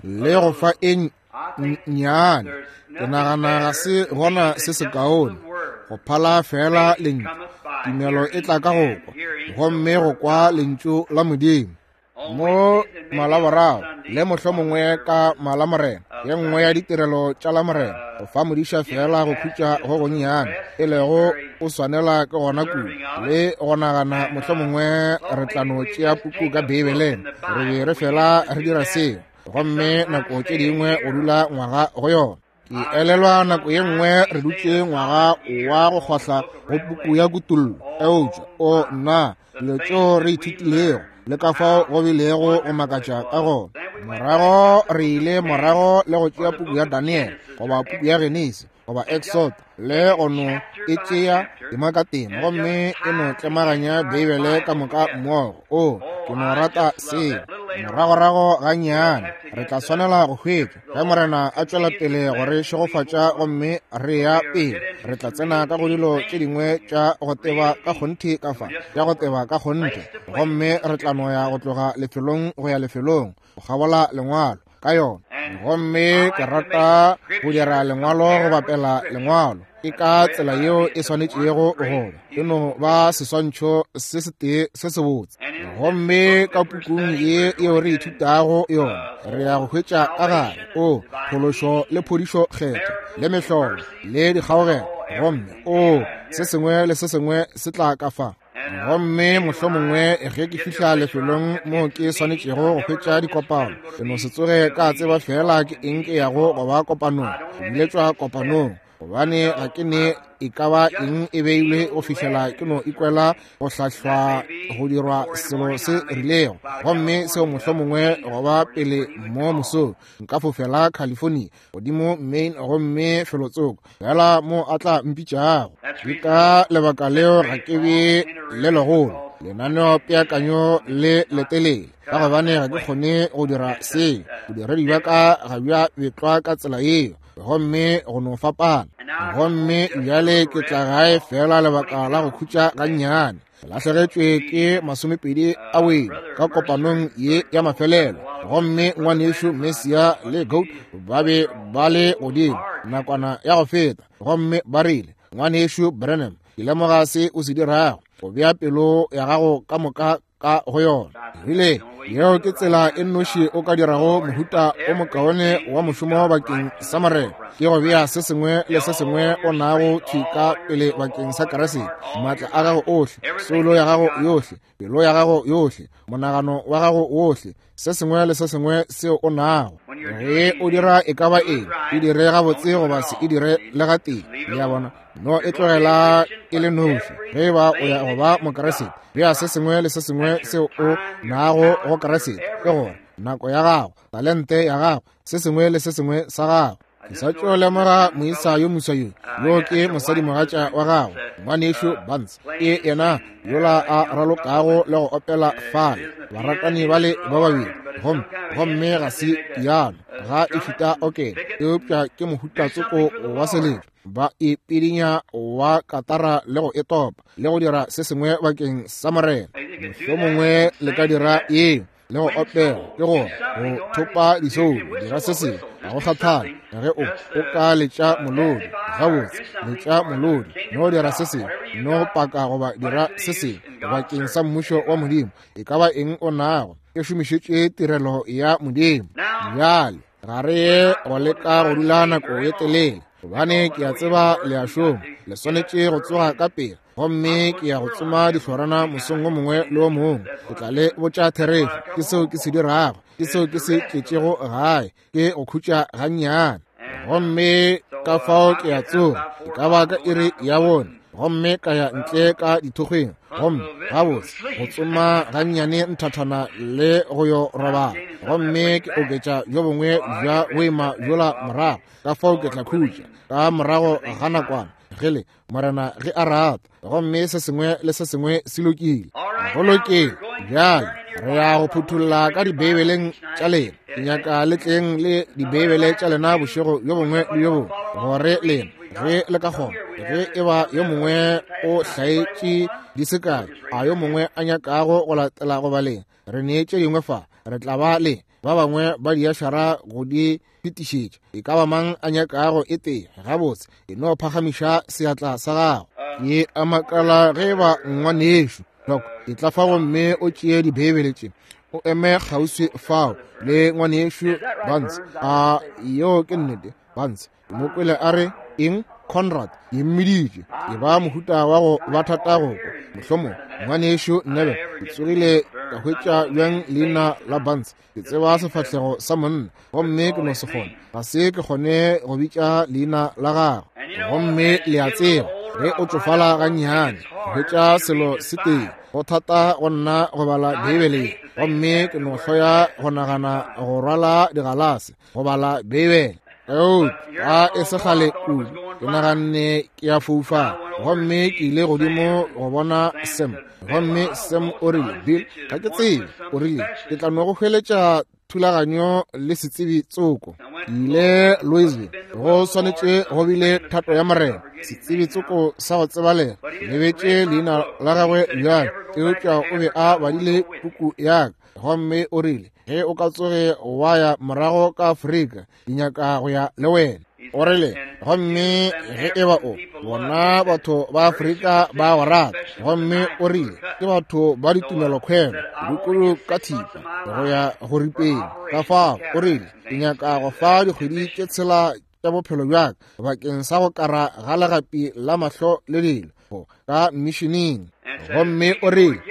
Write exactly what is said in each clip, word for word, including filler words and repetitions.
Le go fa e nnyane, ke nagana ga se gona se sekaone go phala fela lentšu. Tumelo e tla ka go kwa, gomme go kwa lentšu la Modimo. Mo Malaboraro le mohlomongwe ka Malamorena, ye nngwe ya ditirelo tša Lamorena, go fa modiša fela go khutša go gonnyane, e lego o swanela ke gona kudu le go nagana mohlomongwe re tla no tšea puku ka Beibeleng. Re be re fela re dira seo, gomme nako tše dingwe o dula ngwaga go yona. Ke elelwa nako ye nngwe re dutše ngwaga wa go kgohla go puku ya Kutollo, eupša o nna dilo tšeo re ithutilego le ka fao go bilego go makatša ka gona. Morago re ile morago le go tšea puku ya Daniel goba puku ya Genesi goba Exod le go no e tšea tema ka tema, gomme e no tlemaganya Beibele ka moka mmogo. O, ke no rata seo. Moragorago gannyane re tla swanela go hwetša ge Morena a tšwela pele go re šegofatša gomme re ya pele, re tla tsena ka go dilo tše dingwe tša go teba ka kgonthe ka fa, tša go teba ka kgonthe, gomme re tla no ya go tloga lefelong go ya lefelong go kgabola lengwalo ka yona. Gomme ke rata go dira lengwalo go bapela lengwalo, ke ka tsela yeo e swanetšego go ba, e no ba seswantšho se setee se sebotse. Gomme ka pukung ye yeo re ithutago yona, re ya go hwetša ka gare o phološo le phodišo kgetho le mehlolo le dikgaogelo, gomme o se sengwe le se sengwe se tla ka fa. Gomme mohlomongwe ge ke fihla lefelong mo ke swanetšego go hwetša dikopano, ke no se tsoge ka tseba fela ke eng ke yago go ba kopanong, go biletšwa kopanong, gobane ga ke ne e ka ba eng e beilwe go fihlela ke no ikwela go hlahlwa go dirwa selo se rilego. Gomme seo mohlomongwe go ba pele mo mosong nka fofela California godimo Maine gomme felotsoko fela mo a tla mpitšago. Ke ka lebaka leo ga ke be le legolo lenaneo peakanyo le letelele, ka gobane ga ke kgone go dira seo. Bodiredi bja ka ga bja betlwa ka tsela yeo, gomme go no fapana. Gomme bjale ke tla gae fela lebaka la go khutša gannyane. Ke lahlegetšwe ke masomepedi a boima ka kopanong ye ya mafelelo, gomme ngwanešu Messia le Goat ba be ba le godimo nakwana ya go feta, gomme ba rile, ngwanešu Branham, ke lemoga se o se dirago, go bea pelo ya gago ka moka ka go yona. Rile, yeo ke tsela e nnoši o ka dirago mohuta o mokaone wa mošomo bakeng sa Morena, ke go bea se sengwe le se sengwe o nago thwi ka pele bakeng sa Kriste, maatla a gago ohle, soulo ya gago yohle, pelo ya gago yohle, monagano wa gago wohle, se sengwe le se sengwe seo o nago. Ge o dira e ka ba eng, e dire gabotse goba se e dire le gatee. Le a bona, no e tlogela e le noši. Ge ba o ya go ba Mokriste, bea se sengwe le se sengwe seo o nago go Kriste, ke gore nako ya gago, talente ya gago, se sengwe le se sengwe sa gago. Ke sa tšo lemoga moisa yo moswa yo, yo ke mosadimogatša wa gago, ngwanešu Barnes, ke yena yola a ralokago le go opela fale, baratani bale ba babedi. Gomme gomme ga se piano, ga e šuta okene, eupša ke mohuta tsoko wa seletšo, ba e pidinya wa katara le go e topa le go dira se sengwe bakeng sa Morena. Mohlomongwe le ka dira eo le go opela, ke gore go thopa disoulo, dira se sengwe, ga go kgathale ge o o ka letša molodi gabotse, letša molodi, no dira se sengwe, no paka goba dira se sengwe bakeng sa mmušo wa Modimo. E ka ba eng o nago, e šomišetše tirelo ya Modimo. Bjale ga re ye go leka go dula nako ye telele, gobane ke a tseba le a šoma, le swanetše go tsoga ka pele, gomme ke ya go tsoma dihlorana mosong o mongwe le o mongwe. Ke tla le botša therešo, ke seo ke se dirago, ke seo ke se tletšego gae, ke go khutša gannyane. Gomme ka fao ke a tsoga, e ka ba ka iri ya bone, gomme ka ya ntle ka dithokgweng, gomme gabotse go tsoma gannyane nthathana le go yo robala, gomme ke oketša bjo bongwe bja boima bjola morago. Ka fao ke tla khutša ka morago ga nakwana ge le Morena ge a rata, gomme se sengwe le se sengwe se lokile. Go lokile. Bjale re ya go phuthulla ka Dibeibeleng tša lena. Ke nyaka le tleng le Dibeibele tša lena bošego bjo bongwe le bjo bongwe, gore lena ge le ka kgona, ge e ba yo mongwe o hlaetše di se kae, a yo mongwe a nyakago go latela go baleng, re nee tše dingwe fa, re tla ba le ba bangwe ba diašara go di fetišetša. E ka ba mang a nyakago e tee? Gabotse, e no phagamiša seatla sa gago. Ke a makala ge ba ngwanešu Loko e tla fa gomme o tšee dibeibele tše, o eme kgauswi fao le ngwanešu Vance. A yeo ke nnete, Vance? Ke mo kwele a re eng? Conrad, ke mmiditše. E ba mohuta wa go ba thata go kwa. Mohlomong ngwanešu Nebe, ke tsogile ka hwetša bjang leina la Vance. Ke tseba sefahlego sa monna, gomme ke no se kgone, ga se ke kgone go bitša leina la gagwe. Gomme le a tseba, ge o tšofala gannyane, hwetša selo se tee, go thata go nna go bala Beibele, gomme ke no hloya go nagana go rwala digalase go bala Beibele. Eupša e se kgale kudu, ke naganne ke a foufala, gomme ke ile godimo go bona Sam, gomme Sam o rile, Bill, ga ke tsebe, o rile, ke tla no go hweletša thulaganyo le setsebi tsoko. Ke ile Louisville, go swanetše go bile thato ya Morena, setsebi tsoko sa go tsebalega, lebetše leina la gagwe bjale, eupša o be a badile puku ya ka, gomme o rile, ge o ka tsoge wa ya morago ka Afrika, ke nyaka go ya le wena. O rile, gomme ge e ba o bona batho ba Afrika ba go rata, gomme o rile, ke batho ba ditumelokhwelo, kudu ka thipa go ya go ripeng. Ka fao o rile, ke nyaka go fa dikgwedi tše tshela tša bophelo bja ka bakeng sa go kara ga legapi la mahlo le dilo ka missioneng. Gomme o rile,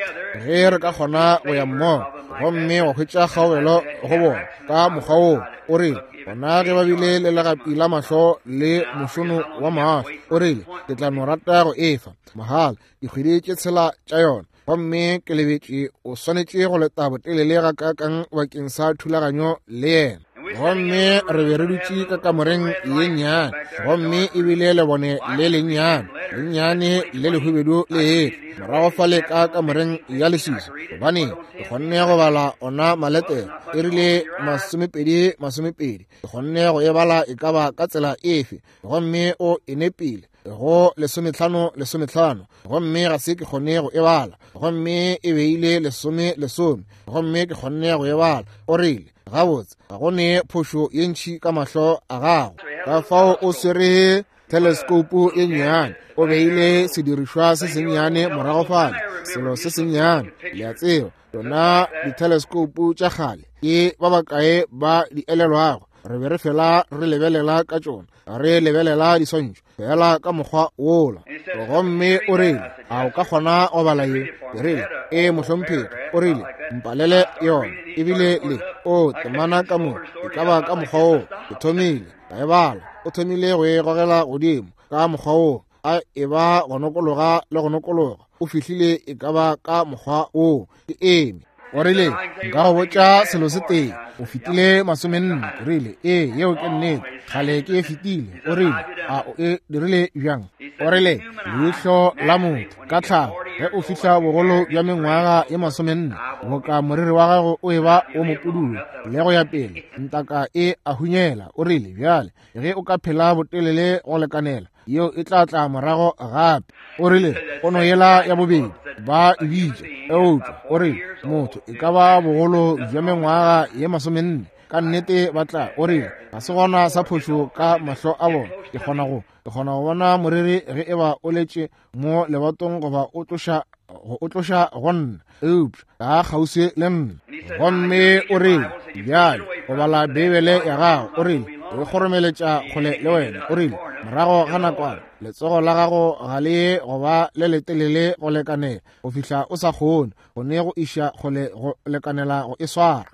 ge re ka kgona go ya mmogo gomme wa hwetša kgaogelo go bona ka mokgwa woo, o rile, bona ge ba bile le legapi la mahlo le mošono wa mahlo, o rile, ke tla no rata go efa mahala dikgwedi tše tshela tša yona. Gomme ke lebetše o swanetše go leta botelele gakaakang bakeng sa thulaganyo le yena. Gomme re be re dutše ka kamoreng ye nnyane, gomme ebile lebone le lennyane lennyane le lehubedu le etla morago fale ka kamoreng ya leswiswi, gobane ke kgonne go bala ona maletere, e rile masomepedi masomepedi, ke kgonne go e bala e ka ba ka tsela efe, gomme o e nepile go lesometlhano lesometlhano, gomme ga se ke kgone go e bala, gomme e beile lesome lesome, gomme ke kgonne go e bala. O rile, gabotse, ga go ne phošo ye ntši ka mahlo a gago. Ka fao o swere teleskoupu ye nnyane, o beile sedirišwa se sennyane morago fale, selo se sennyane, le a tseba, tšona diteleskoupu tša kgale ke ba bakae ba di elelwago, re be re fela re lebelela ka tšona, re lebelela diswantšho fela ka mokgwa wola. Gomme o rile, a o ka kgona go bala ye? Ke rile, ee mohlomphegi. O rile, mpalele yona. Ebile le o temana ka mo e ka ba ka mokgwa woo. Ke thomile ka e bala, o thomile go e gogela godimo ka mokgwa woo, a e ba go nokologa le go nokologa, o fihlile e ka ba ka mokgwa woo. Ke eme. O rile, nka go botša selo se tee, o fetile masomenne. O rile, ee, yeo ke nnete, kgale ke e fetile. O rile, a o e dirile bjang? O rile, leihlo la motho ka tlhago ge o fihla bogolo bja mengwaga ye masomenne, boka moriri wa gago o e ba o mopudulo le go ya pele, ntaka e a hunyela. O rile, bjale ge o ka phela botelele go lekanela, yeo e tla tla morago gape. O rile, pono yela ya bobedi ba e bitša, eupša o rile, motho e ka ba bogolo bja mengwaga ye masomenne, ka nnete ba tla. O rile, ga se gona sa phošo ka mahlo a bona, ke kgona go ke kgona go bona moriri ge e ba o letše mo lebatong goba o tloša go o tloša go nna, eupša ga kgauswi le nna. Gomme o rile, bjale go bala Beibele ya gago, o rile, o kgoromeletša kgole le wena. O rile, morago ga nakwana letsogo la gago ga le ye go ba le letelele go lekanela go fihla o sa kgone go ne go iša kgole go lekanela go e swara.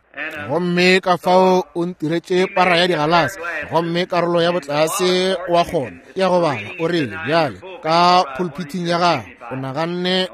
Gomme ka fao o ntiretše para ya digalase, gomme karolo ya botlase wa kgona ke ya go bala. O rile, bjale ka pulpiting ya gago o naganne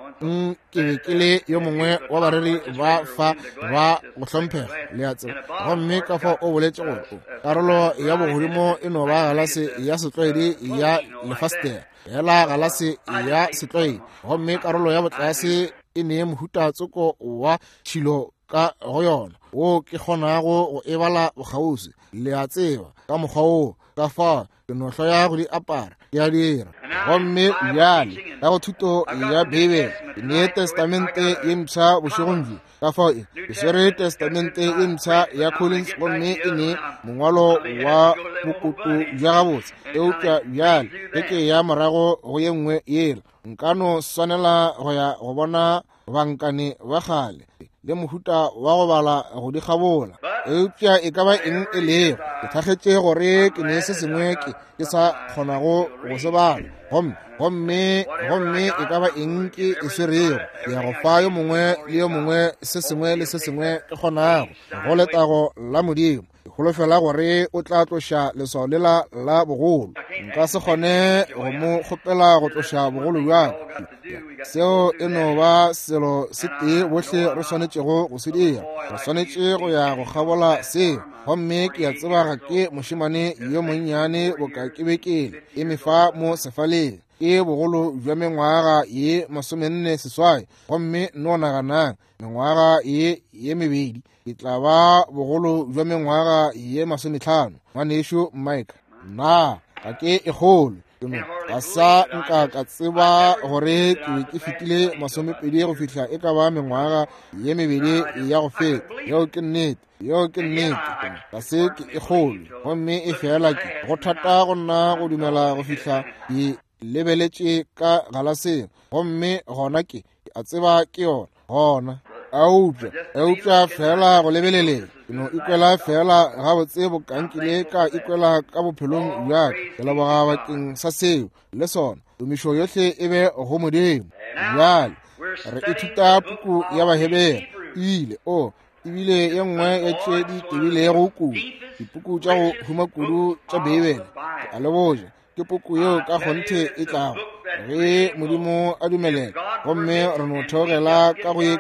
ke be ke le yo mongwe wa bareri ba fa ba go hlomphega, le a tseba. Gomme ka fao o boletše gore o karolo ya bogodimo e no ba galase ya setlwaedi ya lefastere, fela galase ya setlwaedi, gomme karolo ya botlase e ne mohuta tsoko wa tšhilo ka go yona wo ke kgonago go e bala bokgauswi, le a tseba, ka mokgwa woo. Ka fao ke no hloya go di apara, ke a dira. Gomme bjale ka go thuto ya Beibele, ke ne Testamente ye mpsha bošegong bjo, Ka fao e ke swere Testamente e mpsha ya Collins, gomme e ne mongwalo wa bokoto bja gabotse. Eupša bjale ge ke ya morago go ye nngwe yela, nka no swanela go ya go bona bankane ba kgale le mohuta wa go bala go di kgabola. Eupša e ka ba eng e lego, ke thakgetše gore ke ne se sengwe ke ke sa kgonago go se bala. Gomme gomme gomme e ka ba eng ke e swerego, ke ya go fa yo mongwe le yo mongwe se sengwe le se sengwe ke kgonago, go letago la Modimo. Ke holofela gore o tla tloša leswao lela la bogolo. Nka se kgone go mo kgopela go tloša bogolo bja ka. Seo e no ba selo se tee bohle re swanetšego go se dira. Re swanetše go ya go kgabola seo. Gomme ke a tseba ga ke mošemane yo monnyane boka ke be ke le eme fa mo sefaleng. Ke bogolo bja mengwaga ye masomenne seswai, gomme no naganang mengwaga ye ye mebedi ke tla ba bogolo bja mengwaga ye masometlhano. Ngwanešu Mike, nna ga ke e kgolwe. Ke no ga sa nka ka tseba gore ke be ke fetile masomepedi go fihla e ka ba mengwaga ye mebedi ya go feta. Yeo ke nnete, yeo ke nnete. Ga se ke e kgolwe, gomme e fela ke go thata go nna go dumela go fihla ke lebeletše ka galaseng, gomme gona ke a tseba ke yona gona. Eupša eupša fela go lebeleleng, ke no ikwela fela gabotse bokankile ka ikwela ka bophelong bja ka. Ke leboga bakeng sa seo le sona. Tumišo yohle e be go Modimo. Bjale re ithuta puku ya Bahebere. Ile o ebile ye nngwe ya tše di tebilego kudu dipuku tša go huma kudu tša Beibele. Ke a le botša, ke puku yeo ka kgonthe e tlago ge Modimo a dumelela, gomme re no theogela ka go ye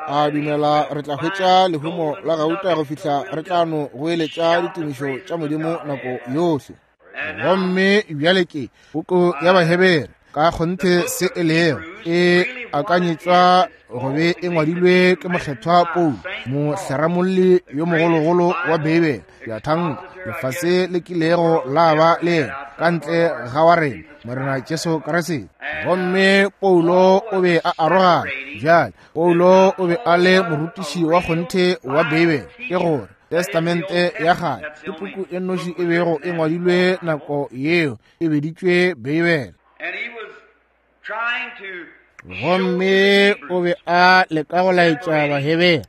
a dumela re tla hwetša lehumo la gauta go fihla re tla no goeletša ditumišo tša Modimo nako yohle. Gomme bjale ke puku ya Bahebere ka kgonthe se e lego e akanyetšwa go be e ngwadilwe ke mokgethwa Paulo, mohleramolli yo mogologolo wa Beibele. Ke a thanka lefase le kilego la ba le yena ka ntle ga wa rena Morena Jesu Kriste. Gomme Paulo o be a arogana. Bjale Paulo o be a le morutiši wa kgonthe wa Beibele, ke gore Testamente ya kgale ke puku e nnoši e bego e ngwadilwe nako yeo e beditšwe Beibele. Gomme o be a leka go laetša Bahebere,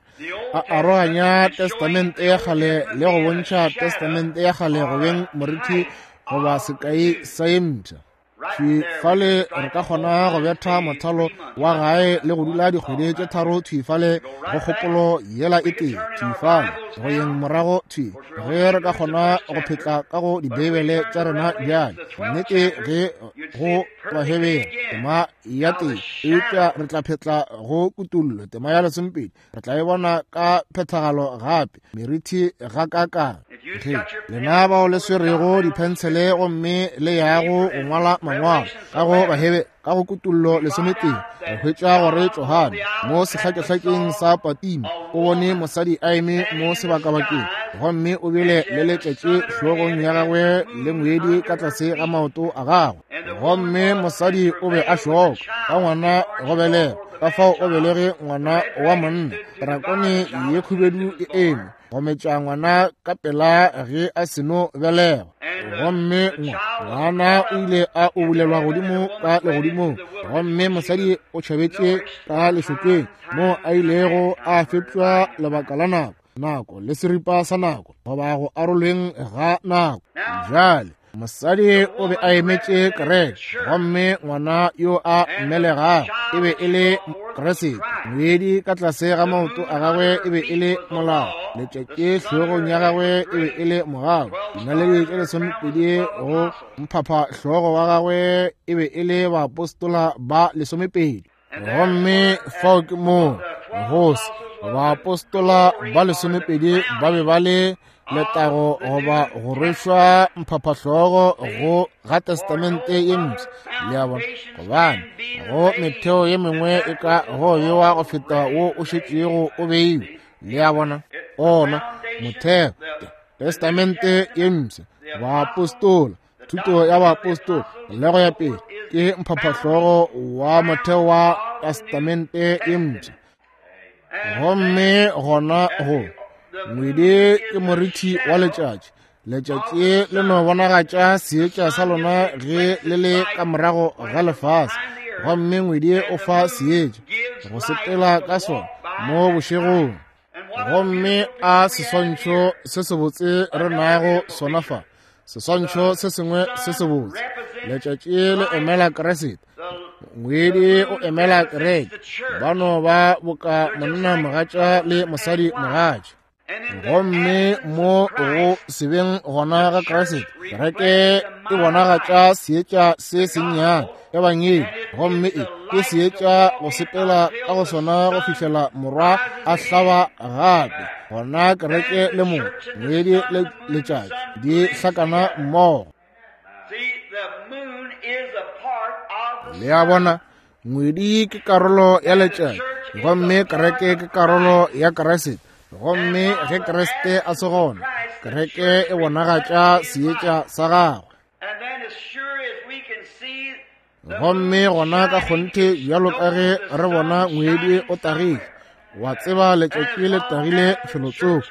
a aroganya Testamente ya kgale le go bontšha Testamente ya kgale go beng moriti goba sekai sa ye mpsha. Thwi fale re ka kgona go betha mothalo wa gae le go dula dikgwedi tše tharo thwi fale go kgopolo yela e tee, thwi fale go yeng morago thwi ge re ka kgona go phetla ka go dibeibele tša rena bjale. Nnete ge go Bahebere tema ya tee, eupša re tla phetla go Kutullo tema ya lesomepedi, re tla e bona ka phethagalo gape merithi ga kakang. Ge lena bao le swerego diphensele gomme le yago go ngwala mangwalo ka go Bahebere ka go Kutullo lesometee, re hwetša gore Johane mo sehlakehlakeng sa Patimo o bone mosadi a eme mo sebakabakeng, gomme o bile le letšatši hlogong ya gagwe le ngwedi ka tlase ga maoto a gagwe. Gomme mosadi o be a šoka ka ngwana go belega, ka fao o belege ngwana wa monna. Drakone ye khubedu e eme go metša ngwana ka pela ge a seno belegwa. Gomme ngwana o ile a ubulelwa godimo ka legodimong, gomme mosadi o tšhabetše ka lešokeng mo a ilego a fepšwa lebaka la nako, nako le seripa sa nako, goba go arolweng ga nako. Bjale mosadi o be a emetše kereke, gomme ngwana yo a mmelegago e be e le Kriste. Ngwedi ka tlase ga maoto a gagwe e be e le molao, letšatši hlogong ya gagwe e be e le mogau, dinaledi tše lesomepedi go mphapha hlogo wa gagwe e be e le baapostola ba lesomepedi. Gomme fao ke moo go se baapostola ba lesomepedi ba be ba le letago goba go rwešwa mphaphahlogo go ga Testamente ye mpsha. Le a bona, gobane go metheo ye mengwe e ka go bewa go feta wo o šetšego o beiwe. Le a bona, ona motheo Testamente ye mpsha, baapostola, thuto ya baapostola le go ya pele, ke mphaphahlogo wa motheo wa Testamente ye mpsha. Gomme gona go ngwedi ke morithi wa letšatši. Letšatši le no bonagatša seetša sa lona ge le le ka morago ga lefase, gomme ngwedi o fa seetša go sepela ka sona mo bošegong. Gomme a seswantšho se sebotse re nago sona fa, seswantšho se sengwe se sebotse. Letšatši le emela Kriste, ngwedi o emela kereke. Ba no ba boka monna mogatša le mosadi mogatša. Gomme mo go sebeng gona ga Kriste, kereke e bonagatša seetša se sennyane ebangedi, gomme e ke seetša go sepela ka go sona go fihlela morwa a hlaba gape. Gona kereke le mongwe, ngwedi le letšatši di hlakana mmogo. Le a bona, ngwedi ke karolo ya letšatši, gomme kereke ke karolo ya Kriste. Gomme ge Kriste a se gona, kereke e bonagatša seetša sa gagwe. Gomme gona ka kgonthe bjalo ka ge re bona ngwedi o tagile, wa tseba letšatši le tagile felotsoko.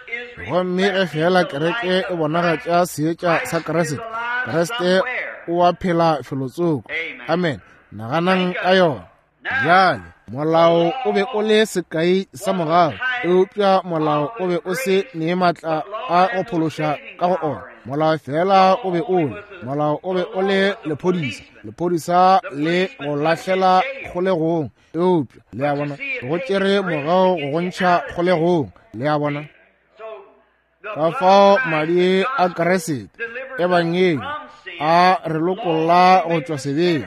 Gomme ge fela kereke e bonagatša seetša sa Kriste, Kriste o a phela felotsoko. Amen. Naganang ka yona. Bjale molao o be o le sekai sa mogau, eupša molao o be o se ne maatla a go phološa ka go ona. Molao fela o be o le, molao o be o le lephodisa, lephodisa le go lahlela kgolegong, eupša le a bona go tšere mogau go gontšha kgolegong. Le a bona ka fao madi a Kriste ebangedi a re lokolla go tšwa sebeng.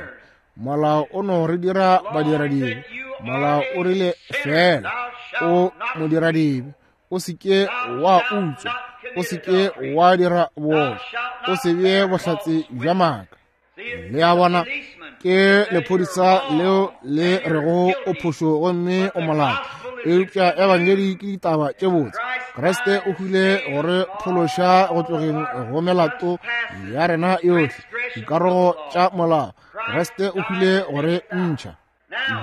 Molao o no re dira badiradibe. Molao o rile fela o modiradibe, o se ke wa utswa, o se ke wa dira bootswa, o se bee bohlatse bja maaka. Le a bona, ke lephodisa leo le rego o phošo gomme o molato, eupša ebangedi ke ditaba tše botse. Kriste o hwile gore phološa go tlogeng go melato ya rena yohle, dikarogo tša molao. Kriste o hwile gore ntšha.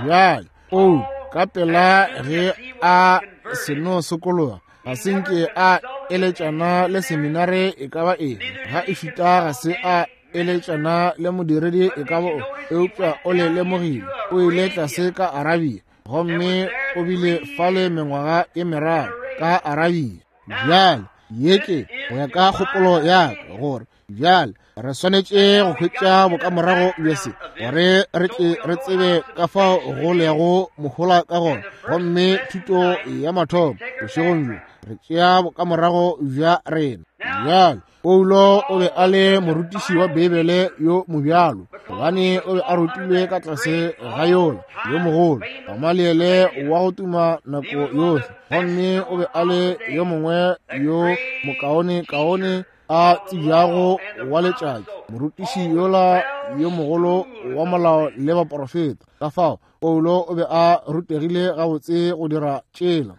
Bjale o ka pela ge a seno sokologa, ga se nke a eletšana le seminare e ka ba eng, ga e šuta ga se a eletšana le modiredi e ka ba o, eupša o le lemogile. O ile tlase ka Arabia, gomme o bile fale mengwaga e meraro ka Arabia. Bjale ye ke go ya ka kgopolo ya ka gore bjale re swanetše go hwetša bokamorago bja se, gore re tle re tsebe ka fao go lego mohola ka gona. Gomme thuto ya mathomo bošegong bjo re tšea bokamorago bja rena. Bjale Paulo o be a le morutiši wa Beibele yo mobjalo, gobane o be a rutilwe ka tlase ga yola yo mogolo Gamaliele wa go tuma nako yohle. Gomme o be a le yo mongwe yo mokaonekaone a tsebjago wa letšatši, morutiši yola yo mogolo wa molao le baporofeta. Ka fao Paulo o be a rutegile gabotse go dira tšela.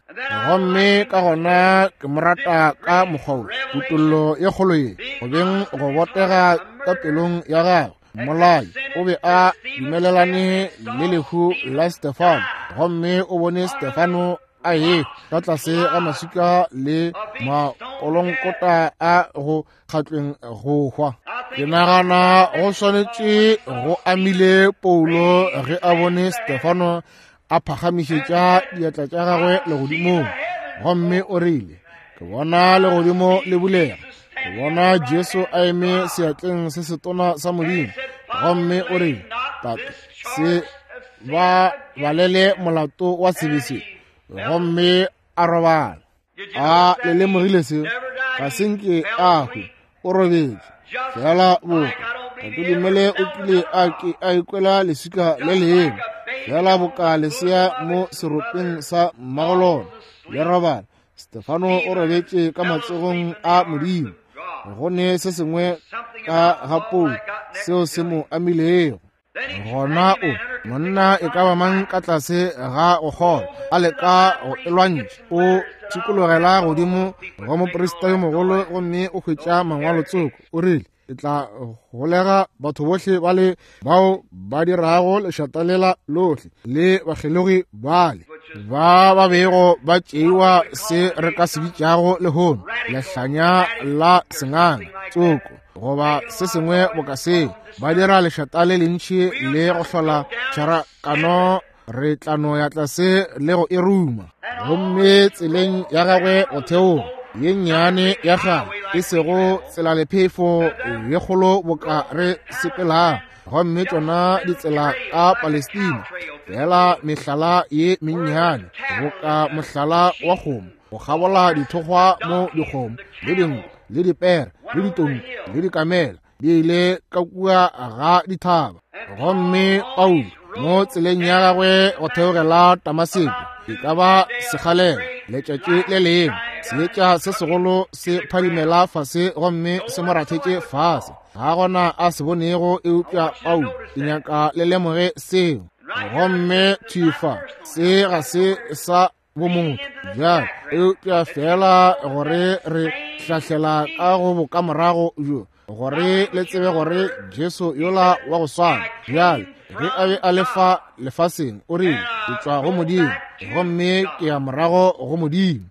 Gomme ka gona ke mo rata ka mokgwa wo, kutollo ye kgolo ye, go beng go botega ka pelong ya gagwe. Mmolai o be a dumelelane le lehu la Stefano, gomme o bone Stefano a ye ka tlase ga maswika le makolonkota a go kgatlweng go hwa. Ke nagana go swanetše go amile Paulo ge a bone Stefano a phagamišetša diatla tša gagwe legodimong, gomme o rile, ke bona legodimo le bulega, ke bona Jesu a eme seatleng se setona sa Modimo. Gomme o rile, Tate, se ba balele molato wa sebe se. Gomme a robala. A le lemogile seo? Ga se nke a hwe, o robetše fela boka. Ga ke dumele o kile a ke a ikwela leswika le lengwe, fela boka lesea mo seropeng sa mmagolona le robala. Stefano o robetše ka matsogong a Modimo. Go ne se sengwe ka ga Paulo seo se mo amilego. Gona o monna e ka ba mang ka tlase ga go kgolwa a leka go e lwantšha, o šikologela godimo go moprista yo mogolo gomme o hwetša mangwalo tsoko. O rile, ke tla golega batho bohle bale bao ba dirago lešata lela lohle le bakgelogi bale. ba ba bego ba tšeiwa se re ka se bitšago lehono lehlanya la senganga tsoko goba se sengwe boka seo, ba dira lešata le lentši le go hlola tšharakano, re tla no ya tlase le go e ruma. Gomme tseleng ya gagwe go theoga ye nnyane ya kgale, e sego tselalephefo ye kgolo boka re sepelang, gomme tšona ditsela ka Palestina, fela mehlala ye mennyane boka mohlala wa kgomo, go kgabola dithokgwa mo dikgomo le dinku le dipere le ditonki le dikamela di ile ka kua ga dithaba. Gomme Paulo mo tseleng ya gagwe go theogela Damaseko, e ka ba sekgalela letšatši le lengwe, seetša se segolo se phadimela fase gomme se mo rathetše fase. Ga gona a se bonego eupša Paulo. Ke nyaka le lemoge seo. Gomme thifa se ga se sa bomotho bjale, eupša fela gore re hlahlela ka go bokamorago bjo, gore le tsebe gore Jesu yola wa go swana bjale ge a be a le fa lefaseng, o rile, ke tšwa go Modimo gomme ke ya morago go Modimo.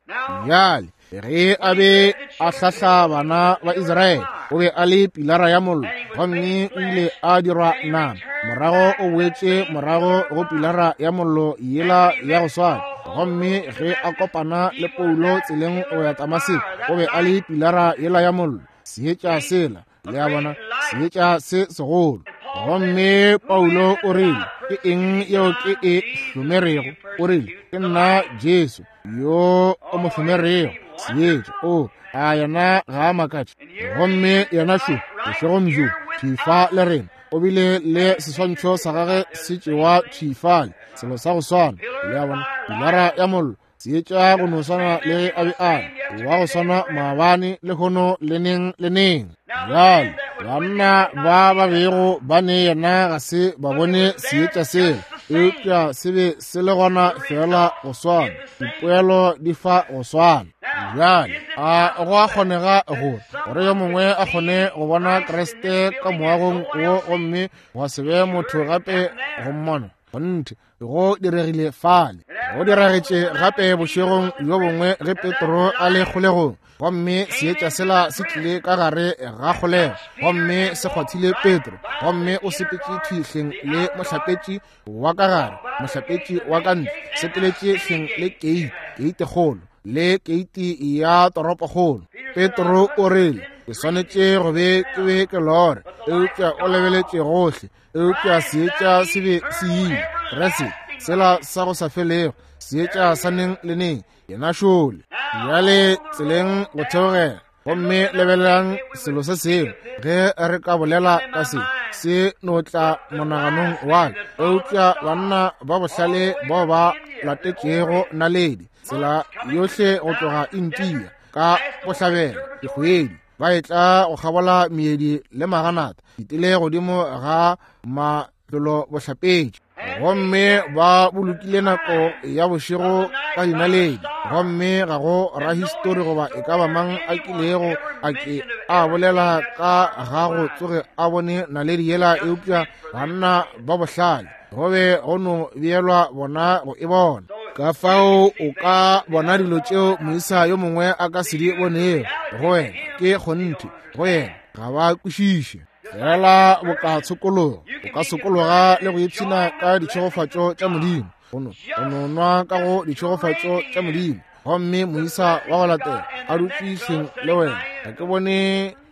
Bjale ge a be a hlahla bana ba Israele, o be a le pilara ya mollo, gomme o ile a dirwa nama. Morago o boetše morago go pilara ya mollo yela ya go swana. Gomme ge a kopana le Paulo tseleng go ya Damaseko, o be a le pilara yela ya mollo, seetša sela, le a bona, seetša se segolo. Gomme Paulo o rile, ke eng yeo ke e hlomerego? O rile, ke nna Jesu yo o mo hlomerego. Seetša, o a yena ga a makatše. Gomme yena šo bošegong bjo thifa le rena, o bile le seswantšho sa gagwe se tšewa thifale, selo sa go swana, le a bona, pilara ya mollo, seetša go no swana le ge a be a le, wa go swana maabane lehono le neng le neng. Bjale banna ba ba bego ba ne yena ga se ba bone seetša sela, eupša se be se le gona fela go swana, dipoelo di fa go swana. Bjale a go a kgonega gore gore yo mongwe a kgone go bona Kriste ka moagong wo, gomme gwa se be motho gape go mmona? Kgonthe go diregile fale. Go diragetše gape bošegong bjo bongwe ge Petro a le kgolegong, gomme seetša sela se tlile ka gare ga kgolego gomme se kgwathile Petro, gomme o sepetše thwi hleng le mohlapetši wa ka gare, mohlapetši wa ka ntle, sepeletše hleng le keiti, keiti kgolo le keiti ya toropokgolo. Petro o rile, ke swanetše go be ke be ke lore, eupša o lebeletše gohle, eupša seetša se be se ile. Kriste sela sa go sa felego, seetša sa neng le neng, yena šole bjale tseleng go theogela. Gomme lebelelang selo se sengwe, ge re ka bolela ka se, se no tla monaganong wa ka, eupša banna ba bohlale bao ba latetšego naledi tsela yohle go tloga India ka bohlabela dikgwedi, ba etla go kgabola meedi le maganata, ditile godimo ga matlolo bohlapetši, gomme ba bolokile nako ya bošego ka dinaledi. Gomme ga go rahistori goba e ka ba mang a kilego a ke a bolela ka ga go tsoge a bone naledi yela, eupša banna ba bohlale go be go no beelwa bona go e bona. Ka fao o ka bona dilo tšeo moisa yo mongwe a ka se di bonego go wena, ke kgonthe go yena ga ba kwešiše. Fela boka tshokologo, o ka sokologa le go ipshina ka ditšhegofatšo tša Modimo, go no go no nwa ka go ditšhegofatšo tša Modimo, gomme moisa wa go latela a dutše hleng le wena, ga ke bone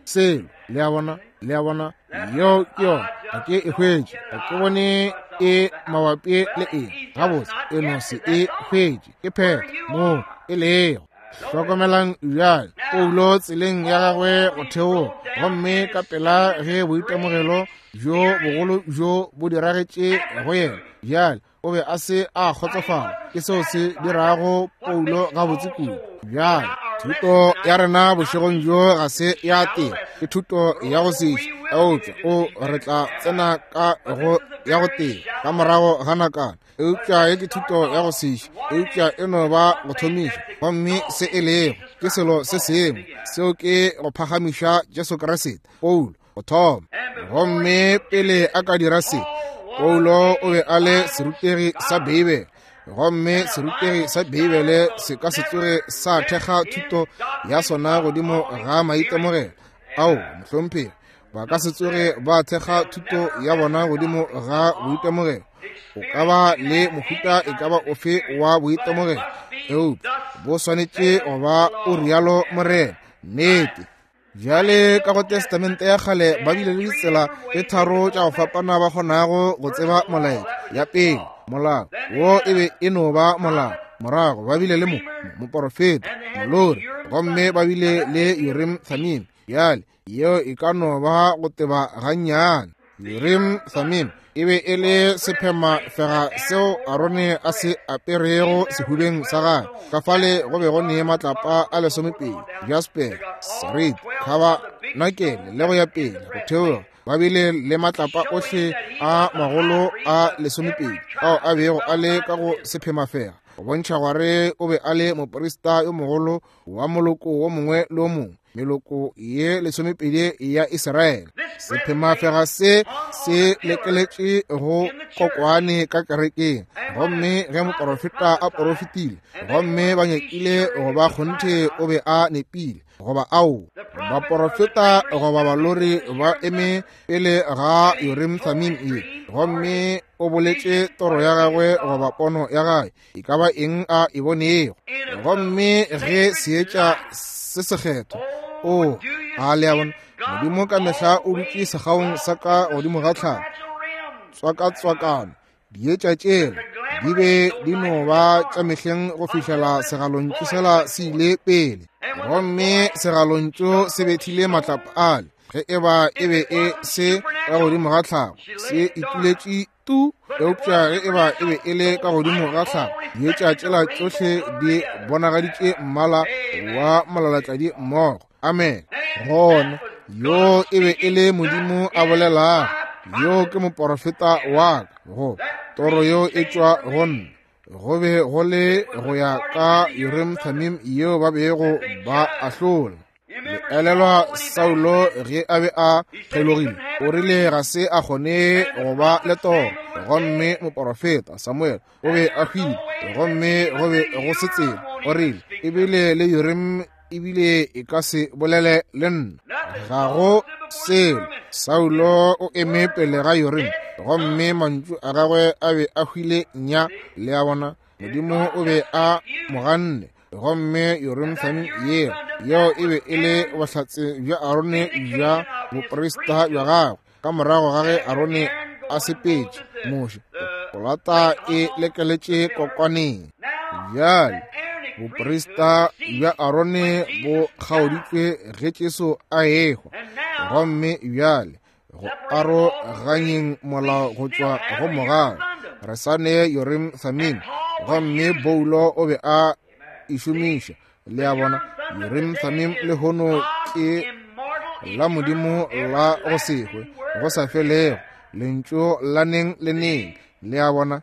selo. Le a bona, le a bona, yeo ke yona, ga ke e hwetše, ga ke bone e mabapi le eng, gabotse e no se e hwetše, ke phetho moo e lego. Hlokomelang bjale Paulo tseleng ya gagwe go theoga, gomme ka pela ge boitemogelo bjo bogolo bjo bo diragetše go yena, bjale o be a se a kgotsofala. Ke seo se dirago Paulo gabotse kudu. Bjale thuto ya rena bošegong bjo ga se ya teng, ke thuto ya go setše, eupša o re tla tsena ka go ya go teng ka morago ga nakana. Eupša ye ke thuto ya go setše, eupša e no ba go thomiša, gomme se e lego ke selo se sengwe, seo ke go phagamiša Jesu Kriste. Paulo go thoma, gomme pele a ka dira se, Paulo o be a le serutegi sa Beibele, Gomme serutegi sa Beibele se ka se tsoge sa thekga thuto ya sona godimo ga maitemogelo. Ao, mohlomphegi, ba ka se tsoge ba thekga thuto ya bona godimo ga boitemogelo. O ka ba le mohuta e ka ba ofe wa boitemogelo, eupša bo swanetše go ba o rialo Morena. Nnete. Bjale ka go Testamente ya kgale ba bile le ditsela tše tharo tša go fapana ba kgonago go tseba molaetša. Ya pele, molao, wo e be e no ba molao. Morago ba bile le mo moporofeta, molori, gomme ba bile le Urim Thummim. Bjale yeo e ka no ba go teba gannyane. Urim Thummim e be e le sephemafega seo Arone a se aperego sehubeng sa gagwe. Ka fale go be go ne matlapa a lesomepedi, jasper, sarit, khabanakele le go ya pele go theoga. Ba bile le matlapa ohle a magolo a lesomepedi ao a bego a le ka go sephemafega, go bontšha gore o be a le moprista yo mogolo wa moloko wo mongwe le wo mongwe, meloko ye lesomepedi ya Israele. Sephemafega se se lekeletše go kokwane ka kerekeng, gomme ge moporofeta a porofetile gomme ba nyakile go ba kgonthe o be a nepile, goba ao baporofeta goba balori ba eme pele ga Urim Thummim ye, gomme o boletše toro ya gagwe goba pono ya gagwe, e ka ba eng a e bonego. Gomme ge seetša se sekgethwa, o a le a bona, Modimo ka mehla o dutše segaong sa ka godimo ga tlhago, tswakatswakano. Dietša tšela di be di no ba tša mehleng go fihlela segalontšu sela se ile pele, gomme segalontšu se bethile matlapa ale. Ge e ba e be e se ka godimo ga tlhago, se ituletše tu, eupša ge e ba e be e le ka godimo ga tlhago, dietša tšela tšohle di bonagaditše mmala wa molalatladi mmogo. Amen. Gona yo e be e le Modimo a bolelago, yo ke moporofeta wa ka, go toro yo e tšwa go nna. Go be go le go ya ka Urim Thummim yeo ba bego ba ahlola. Le elelwa Saulo ge a be a kgelogile, o rile ga se a kgone go ba le toro, gomme moporofeta Samuel o be a hwile, gomme go be go se tsela. O rile ebile le Urim ebile e ka se bolele le nna, ga go selo. Saulo o eme pele ga Urim, gomme mantšu a gagwe a be a hwile nya. Le a bona, Modimo o be a mo ganne. Gomme Urim Thummim yeo yeo e be e le bohlatse bja Arone bja boprista bja gagwe. Ka morago ga ge Arone a sepetše, Moshe polata e lekeletše kokwaneng. Bjale boprista bja Arone bo kgaoditšwe ge Jesu a ehwa, gomme bjale go aroganyeng molao go tšwa go mogau, re sa ne Urim Thummim, gomme Paulo o be a e šomiša. Le a bona, Urim Thummim lehono ke la Modimo la go se hwe, go sa felego, lentšu la neng le neng. Le a bona,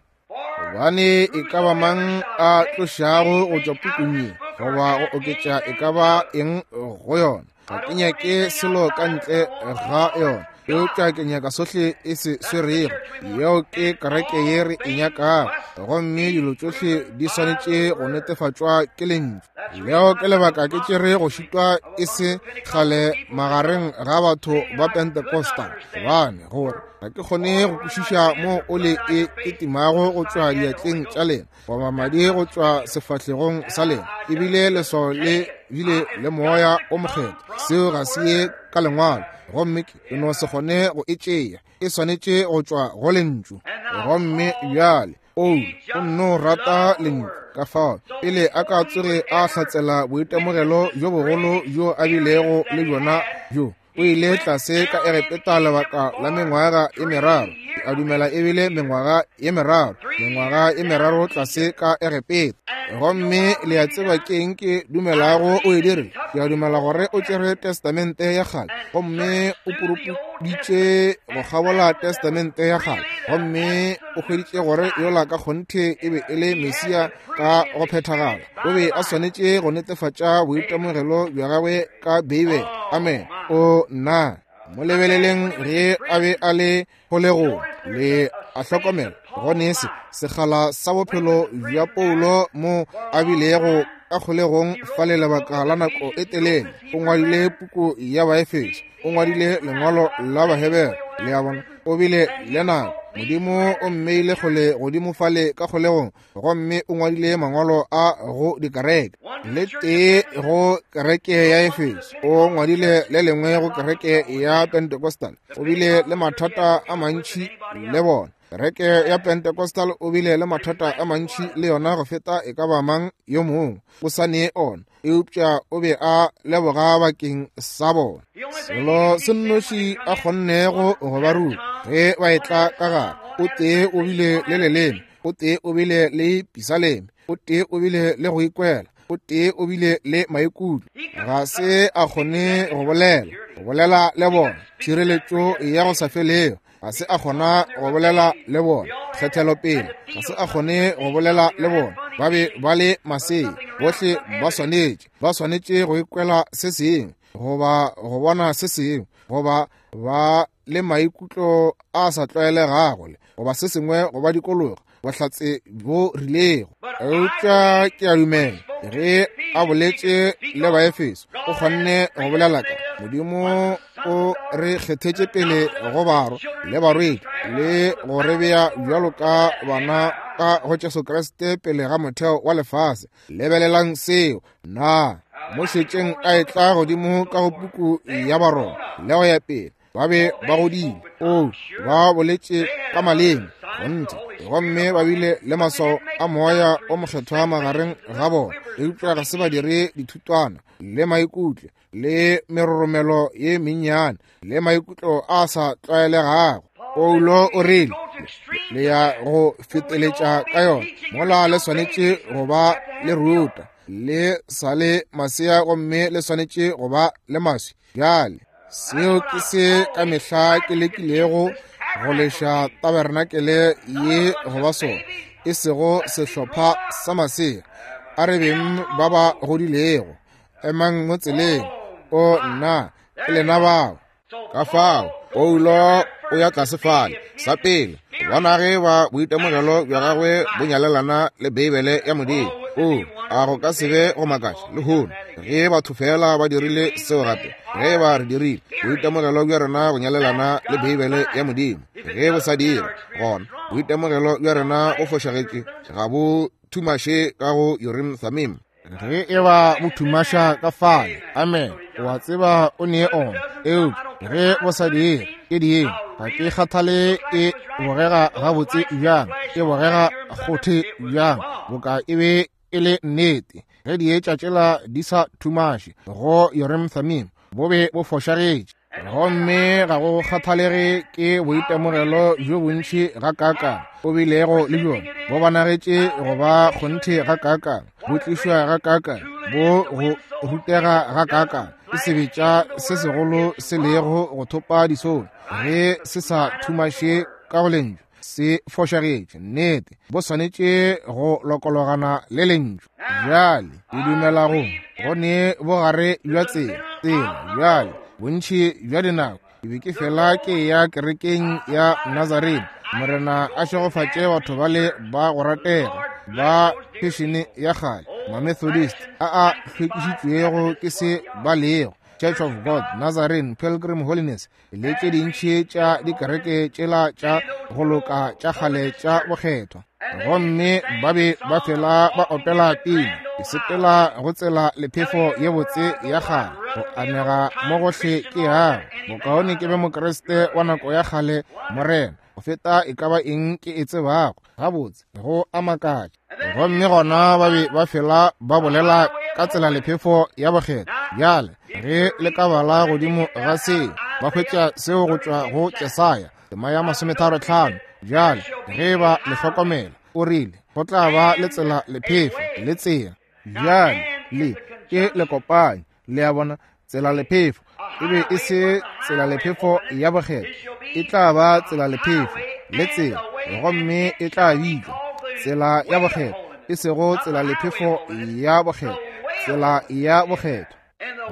gobane e ka ba mang a tlošago go tšwa pukung ye goba go oketša e ka ba eng go yona, ga ke nyake selo ka ntle ga yona, eupša ke nyaka sohle e se swerego. Yeo ke kereke ye re e nyakago, gomme dilo tšohle di swanetše go netefatšwa ke lentšu. Leo ke lebaka ke tšere go šitwa e se kgale magareng ga batho ba Pentecostal, gobane gore ga ke kgone go kwešiša mo o le e ketimago go tšwa diatleng tša lena, goba madi go tšwa sefahlegong sa lena, ebile leswao le bile le moya o mokgethwa. Seo ga se ye ka lengwalo, gomme ke no se kgone go e tšea. E swanetše go tšwa go lentšu. Gomme bjale o o nno rata lentšu, ka fao pele a ka tsoge a hlatsela boitemogelo bjo bogolo bjo a bilego le bjona bjo, o ile tlase ka Egepeta lebaka la mengwaga e meraro. A dumela ebile mengwaga ye meraro, mengwaga e meraro tlase ka Egepeta. Gomme le a tseba ke eng ke dumelago o e dirile? Ke a dumela gore o tšere Testamente ya kgale, gomme o purupuditše go kgabola Testamente ya kgale, gomme o hweditše gore yola ka kgonthe e be e le Mesia ka go phethagala. O be a swanetše go netefatša boitemogelo bja gagwe ka Beibele. Amen. O nna mo lebeleleng ge a be a le kgolegong, le a hlokomela Go ne se sekgala sa bophelo bja Paulo mo a bilego ka kgolegong fale lebaka la nako e telele. O ngwadile puku ya Baefeso, o ngwadile lengwalo la Bahebere. Le a bona, o bile le nako. Modimo o mmeile kgole godimo fale ka kgolegong, gomme o ngwadile mangwalo a go dikereke. Le tee go kereke ya Efeso, o ngwadile le lengwe go kereke ya Pentecostal. O bile le mathata a mantši le bona. Kereke ya Pentecostal o bile le mathata a mantši le yona go feta e ka ba mang yo mongwe. O sa ne ona, eupša o be a leboga bakeng sa bona. Selo se nnoši a kgonnego go ba ruta ge ba etla ka gare, o tee o bile le leleme, o tee o bile le pisaleme, o tee o bile le go ikwela, o tee o bile le maikutlo. Ga se a kgone go bolela, go bolela le bona tšhireletšo ya go sa felego. Ga se a kgona go bolela le bona kgethelopele. Ga se a kgone go bolela le bona. Ba be ba le masea. Bohle ba swanetše, ba swanetše go ikwela se sengwe, goba go bona se sengwe, goba ba le maikutlo a sa tlwaelegago, goba se sengwe go ba dikologa, bohlatse bo rilego. Eupša ke a dumela ge a boletše le Baefeso, o kgonne go bolela ka Modimo o re kgethetše pele go barwa le barwedi, le go re bea bjalo ka bana ka go Jesu Kriste pele ga motheo wa lefase. Lebelelang seo. Na mo šetšeng a etla godimo ka go puku ya Baroma le go ya pele, ba be ba godile. O ba boletše ka maleme gonthe, gomme ba bile le maswao a moya o mokgethwa magareng ga bona, eupša ga se ba dire dithutwana le maikutlo le meroromelo ye mennyane le maikutlo a sa tlwaelegago. Paulo o rile, le ya go feteletša ka yona mola le swanetše go ba le ruta, le sa le masea gomme le swanetše go ba le maswi. Bjale seo ke se ka mehla ke lekilego go leša tabernakele ye go ba sona, e sego sehlopha sa masea. A re beng ba ba godilego, emang mo tseleng. O nna, ke lena bao. Ka fao Paulo o ya tlase fale sa pele, bona ge ba boitemogelo bja gagwe bo nyalelana le Beibele ya Modimo. O a go ka se be go makatša lehono ge batho fela ba dirile seo gape. Ge ba re dirile boitemogelo bja rena go nyalelana le Beibele ya Modimo, ge bo sa dira, gona boitemogelo bja rena bo fošagetše, ga bo thumaše ka go Urim Thummim. Ge e ba bo thumaša ka fale, amen, o a tseba o ne ona. Eupša ge bo sa dire, ke dieng? Ga ke kgathale e bogega gabotse bjang, e bogega kgothe bjang, boka e be e le nnete. Ge dietša tšela di sa thumaše go Urim Thummim, bo be bo fošagetše. Gomme ga go kgathalege ke boitemogelo bjo bontši gakaakang o bilego le bjona, bo bonagetše go ba kgonthe gakaakang, bo tlišwa gakaakang, bo go rutega gakaakang, ke sebetša se segolo se lego go thopa disolo. Ge se sa thumaše ka go lentšu, se fošagetše. Nnete, bo swanetše go lokologana le lentšu. Bjale ke dumela go go ne bogare bja tsela tsela. Bjale bontši bja dinako ke be ke fela ke ya kerekeng ya Nazarene. Morena a šegofatše batho bale ba go ratega ba fešene ya kgale, Mamethodist a a hlwekišitšwego ke se ba lego, Church of God, Nazarene, Pilgrim Holiness, le tše dintši tša dikereke tšela tša go loka tša kgale tša bokgethwa. Gomme ba be ba fela ba opela pina, ke sepela go tsela lephefo ye botse ya kgale, go amega mo gohle ke yago. Bokaone ke be Mokriste wa nako ya kgale, Morena, go feta e ka ba eng ke e tsebago. Gabotse, go a makatša. Gomme gona ba be ba fela ba bolela ka tsela lephefo ya bokgethwa. Bjale ge le ka bala godimo ga seo, ba hwetša seo go tšwa go Jesaya tema ya masometharo tlhano. Bjale ge ba le hlokomela, o rile go tla ba le tsela lephefo le tsela. Bjale le ke lekopanyi, le a bona, tsela lephefo e be e se tsela lephefo ya bokgethwa, e tla ba tsela lephefo le tsela, gomme e tla bitšwa tsela ya bokgethwa, e sego tsela lephefo ya bokgethwa, tsela ya bokgethwa.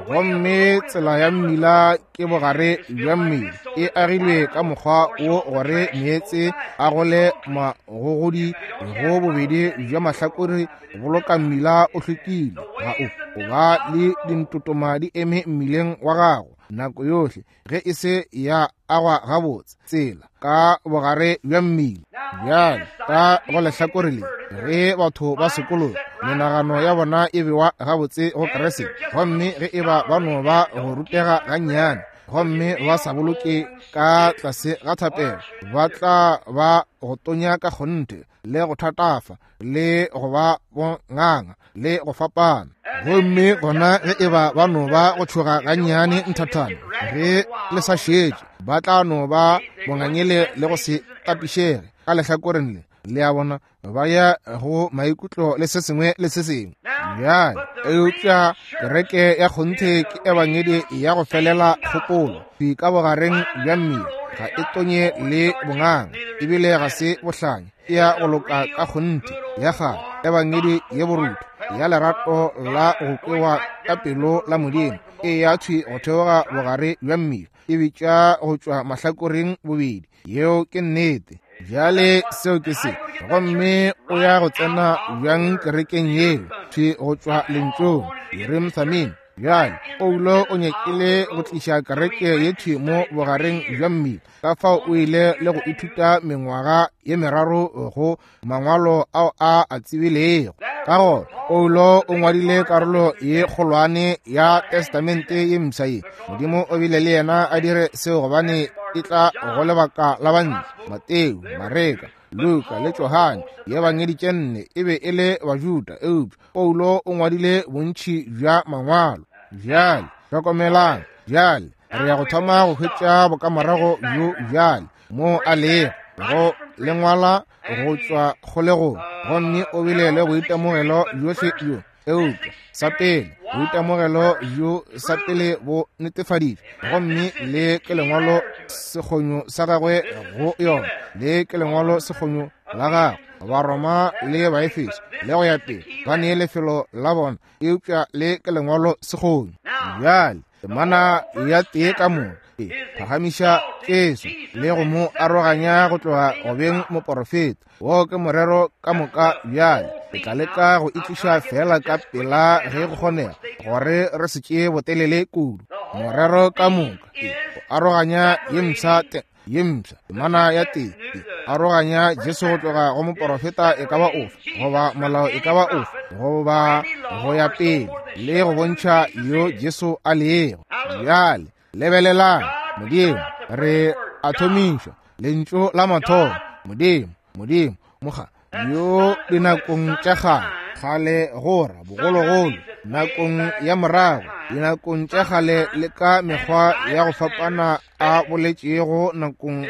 Gomme tsela ya mmila ke bogare bja mmila, e agilwe ka mokgwa wo gore meetse a gole magogodi go bobedi bja mahlakore go boloka mmila o hlwekile. Ga o o ba le dintotoma di eme mmileng wa gago nako yohle ge e se ya agwa gabotse tsela ka bogare bja mmila. Bjale ka go lehlakore le, ge batho ba sekologa, menagano ya bona e bewa gabotse go Kriste, gomme ge e ba ba no ba go rutega gannyane gomme ba sa boloke ka tlase ga thapelo, ba tla ba go tonya ka kgonthe le go thatafa le go ba bonganga le go fapana. Gomme gona ge e ba ba no ba go tšhoga gannyane nthathana, ge le sa šetše, ba tla no ba bongangele le go se tapišege ka lehlakoreng le. Le a bona, ba ya go maikutlo le se sengwe le se sengwe. Bjale eupša kereke ya kgonthe ke ebangedi ya go felela kgopolo ka bogareng bja mmila, ga e tonye le bonganga, ebile ga se bohlanya, e ya go loka ka kgonthe ya kgale, ebangedi ye borutho ya lerato la go kwewa ka pelo la Modimo, e ya thwi go theoga bogare bja mmila, e bitša go tšwa mahlakoreng bobedi. Yeo ke nnete. Bjale seo ke se. Gomme o ya go tsena bjang kerekeng yeo? Thwi go tšwa lentšong Urim Thummim. Bjale Paulo o nyakile go tliša kereke ye thwi mo bogareng bja mmila, ka fao o ile le go ithuta mengwaga ye meraro go mangwalo ao a a tsebilego. Ka gona Paulo o ngwadile karolo ye kgolwane ya Testamente ye mpsha ye. Modimo o bile le yena a dire seo gobane e tla go lebaka la bantle. Mateo, Mareka, Luka le Johane, diebangedi tše nne, e be e le Bajuda, eupša Paulo o ngwadile bontši bja mangwalo. Bjale hlokomelang, bjale re ya go thoma go hwetša bokamorago bjo bjale mo a lego go lengwala go tšwa kgolegong, gomme o bile le boitemogelo bjohle bjo. Eupša sa pele, boitemogelo bjo sa pele bo netefaditšwe, gomme le ke lengwalo sekgonyo sa gagwe go yona, le ke lengwalo sekgonyo la gagwe Baroma le Baefeso le go ya pele, ba nee lefelo la bona, eupša le ke lengwalo sekgonyo. Bjale temana ya tee ka moka e phagamiša Jesu le go mo aroganya go tloga go beng moporofeta. Wo ke morero ka moka. Bjale ke tla leka go itliša fela ka pela ge go kgonega, gore re se tšee botelele kudu. Morero ka moka e go aroganya ye mpsha ye mpsha temana ya tee e aroganya Jesu go tloga go moporofeta e ka ba ofe, goba molao e ka ba ofe, goba go ya pele, le go bontšha yo Jesu a lego. Bjale lebelelang, Modimo re a thomišwa lentšu la mathomo, Modimo, Modimo moga yo dinakong tša kgale, kgale gora bogologolo, nakong ya morago, dinakong tša kgale le ka mekgwa ya go fapana a boletšego nakong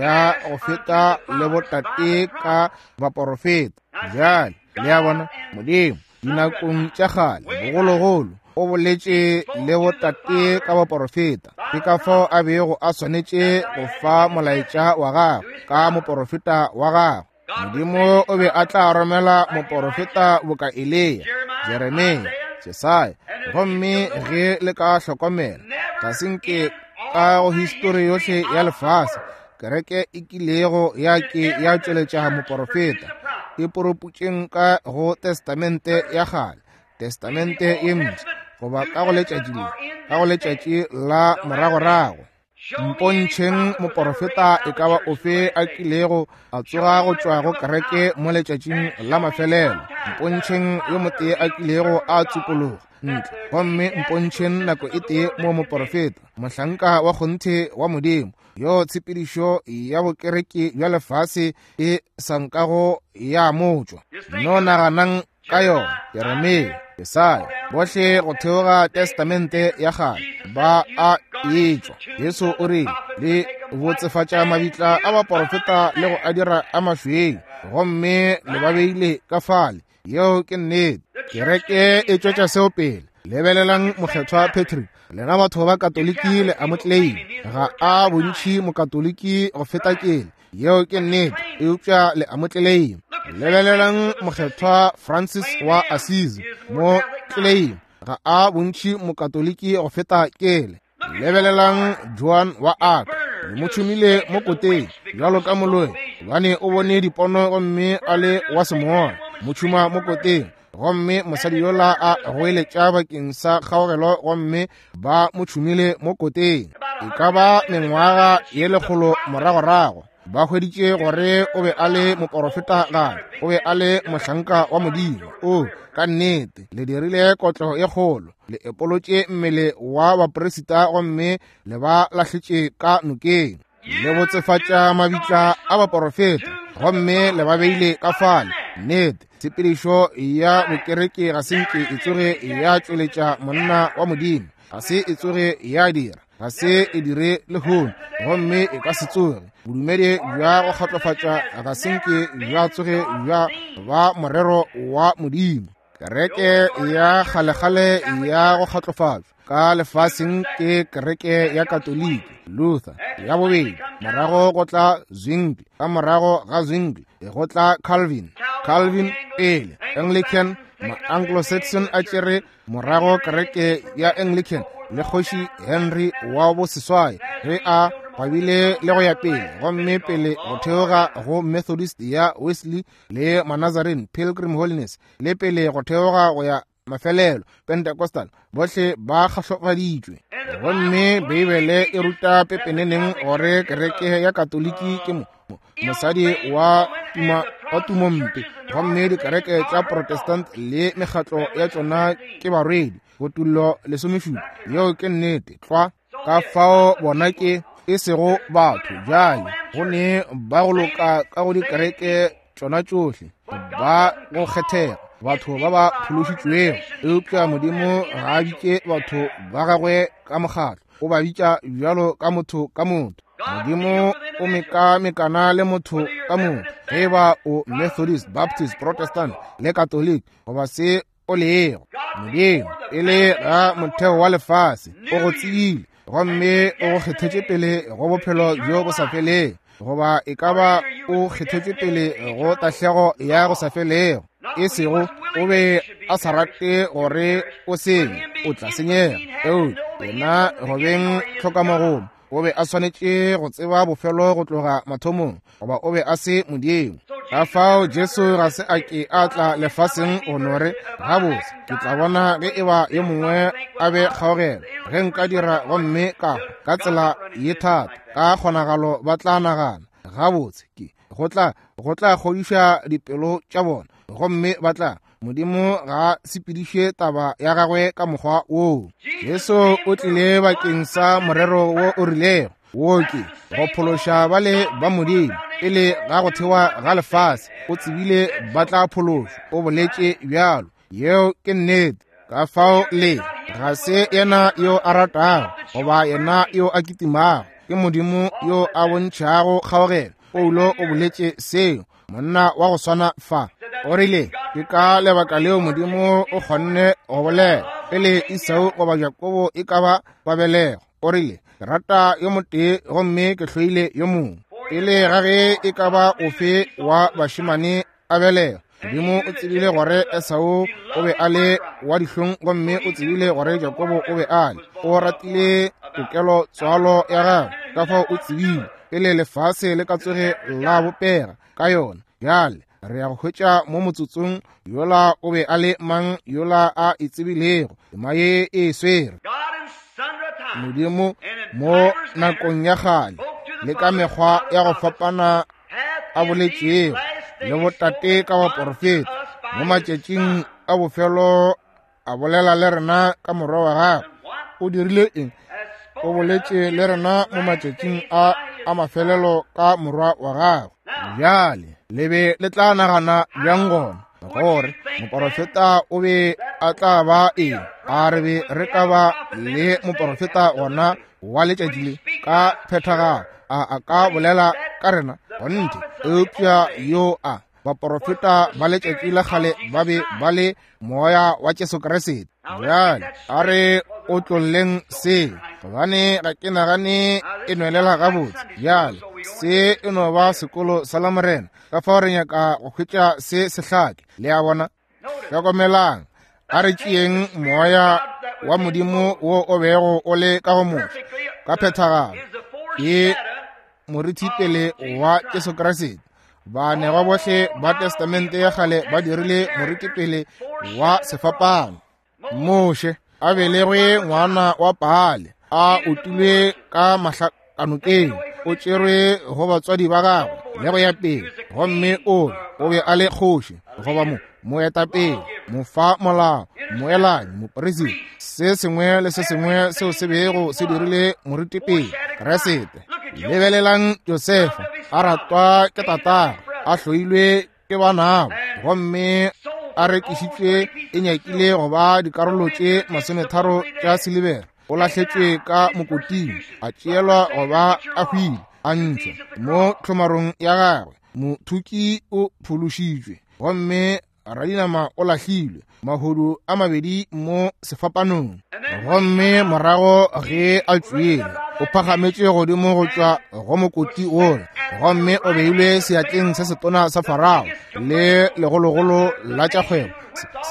ya go feta le botate ka baporofeta. Bjale le a bona, Modimo dinakong tša kgale bogologolo o boletše le botate ka baporofeta. Ke ka fao a bego a swanetše go fa molaetša wa gagwe ka moporofeta wa gagwe. Modimo o be a tla romela moporofeta boka Eliya, Jeremia, Jesaya. Gomme ge le ka hlokomela, ga se nke ka go histori yohle ya lefase kereke e kilego ya ke ya tšweletša moporofeta. E poroputšeng ka go Testamente ya kgale, Testamente ye mpsha, goba ka go letšatši le, ka go letšatši la moragorago. Mpontšheng moporofeta e ka ba ofe a kilego a tsoga go tšwa go kereke mo letšatšing la mafelelo. Mpontšheng yo motee a kilego a tsupologa ntle, gomme mpontšheng nako e tee mo moporofeta, mohlanka wa kgonthe wa Modimo, yo tshepedišo ya bokereke bja lefase e sa nkago ya motšwa. No naganang ka yona. Jeremia, Jesaya, bohle go theoga Testamente ya kgale ba a etšwa. Jesu o rile, le botsefatša mabitla a baporofeta le go a dira a mašweu, gomme le ba beile ka fale. Yeo ke nnete. Kereke e tšwetša seo pele. Lebelelang mokgethwa Patrick. Lena batho ba Katoliki le a mo tleleima. Ga a bontši mokatoliki go feta kele. Yeo ke nnete, eupša le a mo tleleima. Lebelelang mokgethwa Francis wa Assisi, mo tleleima. Ga a bontši mokatoliki go feta kele. Lebelelang Joan wa Arc, le mo tšhumile mo koteng bjalo ka moloi, gobane o bone dipono gomme a le wa semoya. Mo tšhuma mo koteng, gomme mosadi yola a goeletša bakeng sa kgaogelo, gomme ba mo tšhumile mo koteng. E ka ba mengwaga ye lekgolo moragorago ba hweditše gore o be a le moporofeta gape, o be a le mohlanka wa Modimo. O ka nnete le dirile kotlo ye kgolo, le epolotše mmele wa bapresita gomme le ba lahletše ka nokeng, le botsefatša mabitla a baporofeta gomme le ba beile ka fale. Nnete, tshepedišo ya bokereke ga se nke e tsoge ya tšweletša monna wa Modimo, ga se e tsoge ya dira, ga se e dire lehono, gomme e ka se tsoge. Bodumedi bja go kgatlofatša ga se nke bja tsoge bja ba morero wa Modimo. Kereke ya kgalekgale ya go kgatlofatšwa ka lefaseng ke kereke ya Katoliki, Luther ya bobedi, morago go tla Zwingli, ka morago ga Zwingli go tla Calvin, Calvin pele Anglican, ma-Anglo-Saxon a tšere morago kereke ya Anglican le kgoši Henry wa boseswai ge a gwabile le go ya pele, gomme pele go theoga go Methodist ya Wesley le Manazarene, Pilgrim Holiness, le pele go theoga go ya mafelelo Pentecostal, bohle ba kgahlofaditšwe. Gomme Beibele e ruta pepeneneng gore kereke ya Katoliki ke mo mosadi wa tuma wa tumompe, gomme dikereke tša Protestant le mekgatlo ya tšona ke barwedi. Botullo lesomešupa, yeo ke nnete tlwa. Ka fao bona ke e sego batho bjale, go ne ba go loka ka go dikereke tšona tšohle, ba go kgethega, batho ba ba phološitšwego. Eupša Modimo ga a bitše batho ba gagwe ka mokgatlo, o ba bitša bjalo ka motho ka motho. Modimo o mekamekana le motho ka motho, ge e ba o Methodist, Baptist, Protestant le Catholic goba se o lego. Modimo pele ga motheo wa lefase o go tsebile, gomme o go kgethetše pele go bophelo bjo bo sa felego, goba e ka ba o kgethetše pele go tahlego ya go sa felego. E sego o be a sa rate gore o senye, o tla senyega. Eupša yena go beng tlhokamogomo, o be a swanetše go tseba bofelo go tloga mathomong, goba o be a se Modimo. Ka fao Jesu ga se a ke a tla lefaseng go no re, gabotse ke tla bona ge e ba yo mongwe a be kgaogelo, ge nka dira gomme ka ka tsela ye thata, ka kgonagalo ba tla nagana gabotse ke go tla go tla kgodiša dipelo tša bona, gomme ba tla. Modimo ga sepediše taba ya gagwe ka mokgwa woo. Jesu o tlile bakeng sa morero wo o rilego, wo ke go phološa bale ba Modimo pele ga go thewa ga lefase. O tsebile ba tla phološwa, o boletše bjalo. Yeo ke nnete. Ka fao le ga se yena yo a ratago goba yena yo a kitimago, ke Modimo yo a bontšhago kgaogelo. Paulo o boletše seo, monna wa go swana fa. O rile ke ka lebaka leo Modimo o kgonne go bolela pele Esau goba Jakobo e ka ba ba belego. O rile ke rata yo motee gomme ke hloile yo mongwe. Pele ga ge e ka ba ofe wa bašemane a belega, Modimo o tsebile gore Esau o be a le wa dihlong, gomme o tsebile gore Jakobo o be a le. O ratile tokelo tswalo ya gagwe, ka fao o tsebile pele lefase le ka tsoge la bopega ka yona. Bjale re ya go hwetša mo motsotsong yola o be a le mang yola a e tsebilego tema ye e swere. Modimo mo nakong ya kgale le ka mekgwa ya go fapana a boletšego le botate ka baporofeta, mo matšatšing a bofelo a bolela le rena ka morwa wa gagwe. O dirile eng? O boletše le rena mo matšatšing a a mafelelo ka morwa wa gagwe. Bjale le be le tla nagana bjang gona gore moporofeta o be a tla ba eng? A re be re ka ba le moporofeta gona wa letšatši le ka phethagalo, a a ka bolela ka rena? Gonthe. Eupša yo a baporofeta ba letšatši la kgale ba be ba le moya wa Jesu Kriste. Bjale a re o tlolleng se, gobane ga ke nagane e nwelela gabotse. Bjale se e no ba sekolo sa Lamorena, ka fao re nyaka go hwetša se sehlake. Le a bona? Hlokomelang, A re tšeeng moya wa Modimo wo o bego o le ka go Moshe ka phethagalo ke morithipele wa Jesu Kriste. Baanegwa bohle ba Testamente ya kgale ba dirile morithipele wa sefapano. Moshe a belegwe ngwana wa Paale, a utilwe ka mahlakanokeng, o tšerwe go batswadi ba gagwe le go ya pele, gomme o o be a le kgoši goba mo moetapele, mofa molao, moelanyi, mopresidente, se sengwe le se sengwe seo se bego se dirile moritipele Kriste. Lebelelang Josefa, a ratwa ke tatagwe, a hloilwe ke banabo, gomme a rekišitšwe e nyakile go ba dikarolo tše masometharo tša silibera. O lahletšwe ka mokoting, a tšeelwa go ba a hwile, a ntšhwa mo tlhomarong ya gagwe. Mothuki o phološitšwe, gomme radinama o lahlilwe, mahodu a mabedi mo sefapanong. Gomme morago ge a tšwele, o phagametše godimo go tšwa go mokoti wola, gomme o beilwe seatleng se setona sa Farao le legologolo la tša kgwebo,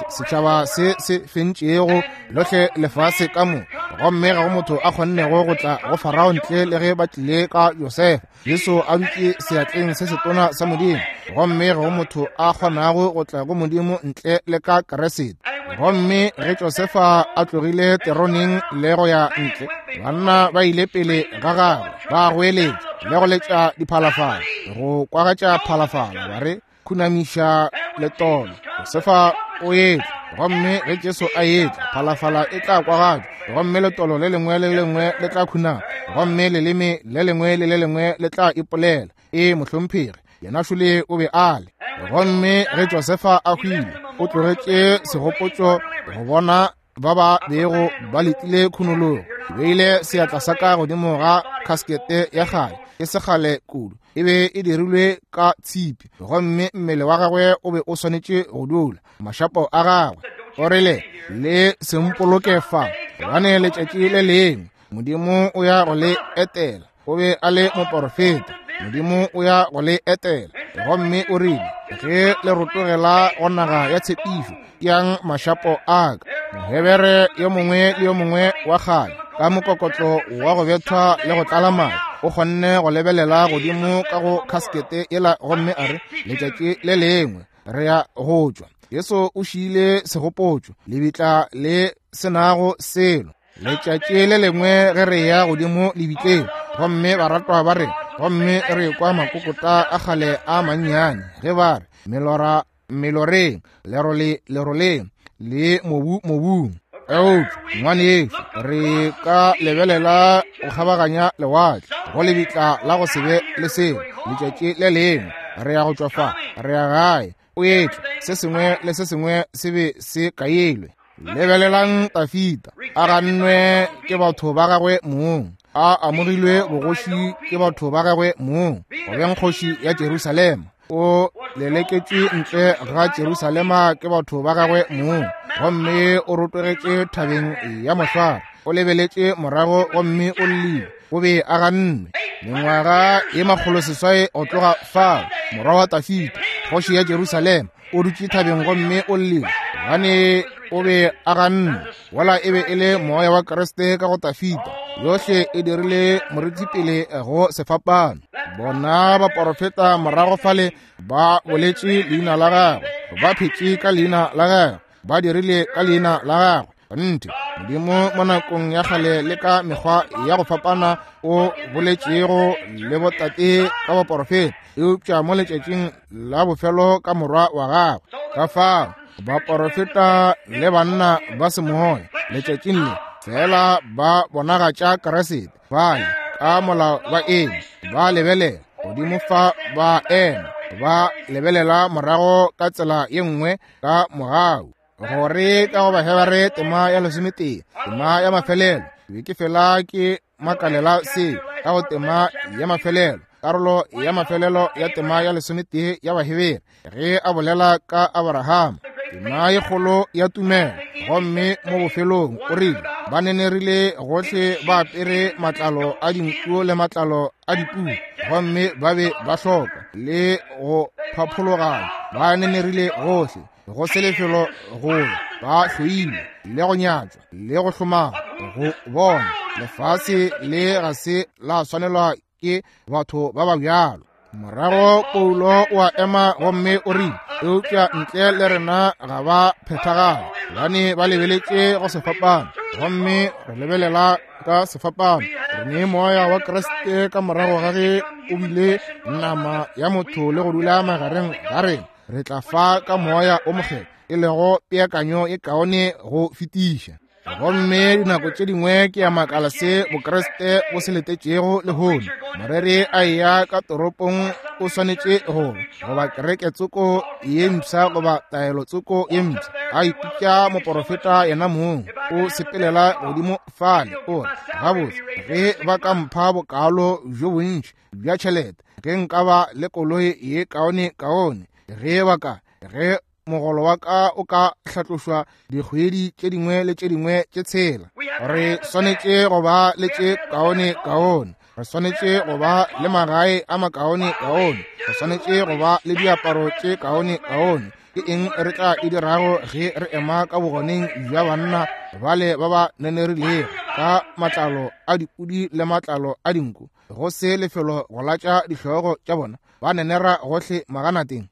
setšhaba se se fentšego lohle lefase ka moka. Gomme ga go motho a kgonnego go tla go Farao ntle le ge ba tlile ka Josefa. Jesu a dutše seatleng se setona sa Modimo, gomme ga go motho a kgonago go tla go Modimo ntle le ka Kriste. Gomme ge Josefa a tlogile teroneng le go ya ntle, banna ba ile pele ga gagwe ba goeletša le go letša diphalafala, go kwagatša phalafala, ba re khunamiša letolo. Josefa o etla, gomme ge Jesu a etla, phalafala e tla kwagatšwa, gomme letolo le lengwe le lengwe le tla khunama, gomme leleme le lengwe le le lengwe le tla ipolela, e mohlomphegi, yena šole o be a le. Gomme ge Josefa a hwile, o tlogetše segopotšo go bona ba ba bego ba letile khunologo. Ke beile seatla sa ka godimo ga khaskete ya kgale, e se kgale kudu, e be e dirilwe ka tshipi, gomme mmele wa gagwe o be o swanetše go dula mašapo a gagwe. O rile, le sempoloke fa, gobane letšatši le lengwe Modimo o ya go le etela. O be a le moporofeta, Modimo o ya go le etela. Gomme o rile, ge le rotogela go naga ya tshepišo, yang mašapo a ka. Mohebere yo mongwe le yo mongwe wa kgale ka mokokotlo wa go bethwa le go tlala madi o kgonne go lebelela godimo ka go khaskete yela, gomme a re, letšatši le lengwe re ya go tšwa. Jesu o šiile segopotšo, lebitla le senago selo. Letšatši le lengwe ge re ya godimo lebitleng, gomme baratwa ba re, gomme re kwa makokota a kgale a mannyane ge ba re melora meloreng, lerole leroleng, le mobu mobung. Eupša ngwanešu, re ka lebelela go kgabaganya lewatle go lebitla la go se be le selo. Letšatši le lengwe re ya go tšwa fa, re ya gae, o etla, se sengwe le se sengwe se be se kailwe. Lebelelang Tafita, a gannwe ke batho ba gagwe mong, a amogilwe bogoši ke batho ba gagwe mong, go beng kgoši ya Jerusalema. O leleketšwe ntle ga Jerusalema ke batho ba gagwe mong, gomme o rotogetše thabeng ya mohlware. O lebeletše morago gomme o llile, o be a gannwe. Mengwaga ye makgolo seswai go tloga fao, morwa wa Tafita, kgoši ya Jerusalema, o dutše thabeng gomme o llile, gobane o be a gannwe. Wola e be e le moya wa Kriste ka go Tafita, yohle e dirile morithipele go sefapano. Bona baporofeta morago fale ba boletše leina la gagwe, ba phetše ka leina la gagwe, ba dirile ka leina la gagwe. Nnete, Modimo mo nakong ya kgale le ka mekgwa ya go fapana o boletšego le botate ka baporofeta, eupša mo letšatšing la bofelo ka morwa wa gagwe. Ka fao baporofeta le banna ba semoya letšatšing le fela ba bonagatša Kriste, bale ka molao ba eme, ba lebelela godimo fa, ba ema, ba lebelela morago ka tsela ye nngwe ka mogau. Gore ka go Bahebere tema ya lesometee, tema ya mafelelo, ke be ke fela ke makalela se ka go tema ya mafelelo, karolo ya mafelelo ya tema ya lesometee ya Bahebere, ge a bolela ka Abrahama, tema ye kgolo ya tumelo. Gomme mo bofelong o rile, ba nenerile gohle ba apere matlalo a dinku le matlalo a dipudi, gomme ba be ba hloka le go phaphologana. Ba nenerile gohle, Go se lefelo go ba hloilwe le go nyatšwa le go hlomana go bona. Lefase le ga se la swanelwa ke batho ba ba bjalo. Morago Paulo o a ema gomme o rile, eupša ntle le rena ga ba phethagala, gobane ba lebeletše go sefapano, gomme re lebelela ka sefapano. Re ne moya wa Kriste ka morago ga ge o bile nama ya motho le go dula magareng ga rena. Re tla fa ka moya o mokgethwa, e lego peakanyo e kaone go fetiša. Gomme dinako tše dingwe ke ya makala se Bokriste bo se letetšego lehono. Moreri a eya ka toropong o swanetše go goba kereke tsoko ye mpsha goba taelo tsoko ye mpsha, a ipitša moporofeta yena mong, o sepelela godimo fale o re, gabotse, ge ba ka mpha bokalo bjo bontši bja tšhelete, ge nka ba le koloi ye kaone kaone, ge ba ka, ge mogolo wa ka o ka hlatlošwa dikgwedi tše dingwe le tše dingwe tše tshela. Re swanetše go ba le tše kaone kaone, re swanetše go ba le magae a makaone kaone, re swanetše go ba le diaparo tše kaone kaone. Ke eng re tla e dirago ge re ema ka bogoneng bja banna bale ba ba nenerilego ka matlalo a dipudi le matlalo a dinku, go se lefelo go latša dihlogo tša bona, ba nenera gohle maganateng?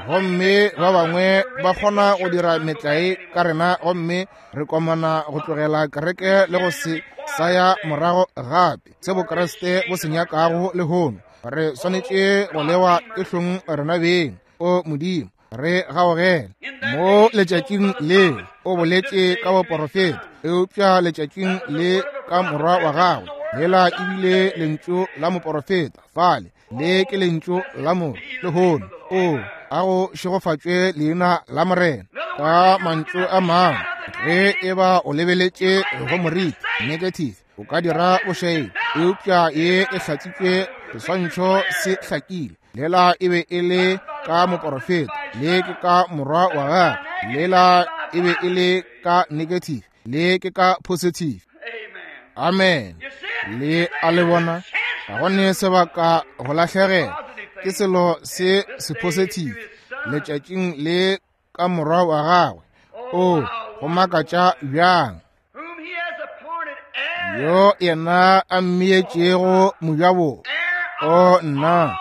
Gomme ba bangwe ba kgona go dira metlae ka rena, gomme re komana go tlogela kereke le go se sa ya morago gape. Se Bokriste bo se nyakago lehono, re swanetše go lewa ke hlong rena beng. O Modimo, re gaogele. Mo letšatšing le o boletše ka boporofeta, eupša letšatšing le ka morwa wa gagwe, lela ebile lentšu la moporofeta fale, le ke lentšu la motho lehono. O a go šegofatšwe leina la Morena. Ka mantšu a mangwe, ge e ba o lebeletše go moriti negative, o ka dira bošaedi, eupša ye e hlatsitšwe, seswantšho se hlakile. Lela e be e le ka moporofeta, le ke ka morwa wa gagwe. Lela e be e le ka negative, le ke ka positive. Amen. Le a le bona, ga go ne sebaka go lahlegela, ke selo se se positive letšatšing le ka morwa wa gagwe. O go makatša bjang, yo yena a mmeetšego mojabohwa. O nna,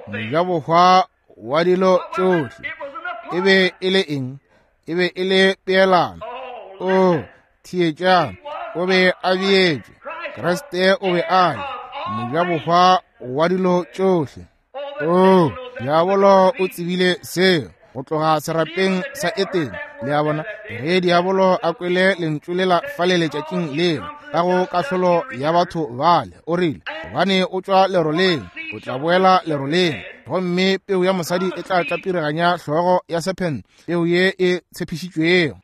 mojabohwa wa dilo tšohle. E be e le eng? E be e le peelano. O theetšang, o be a beetšwe. Kriste o be a le mojabohwa wa dilo tšohle. O diabolo o tsebile seo go tloga serapeng sa Etene. Le a bona, ge diabolo a kwele lentšu lela fale letšatšing lela ka go kahlolo ya batho bale, o rile, gobane o tšwa leroleng, o tla boela leroleng, gomme peu ya mosadi e tla tlapiriganya hlogo ya sephente, peu ye e tshepišitšwego.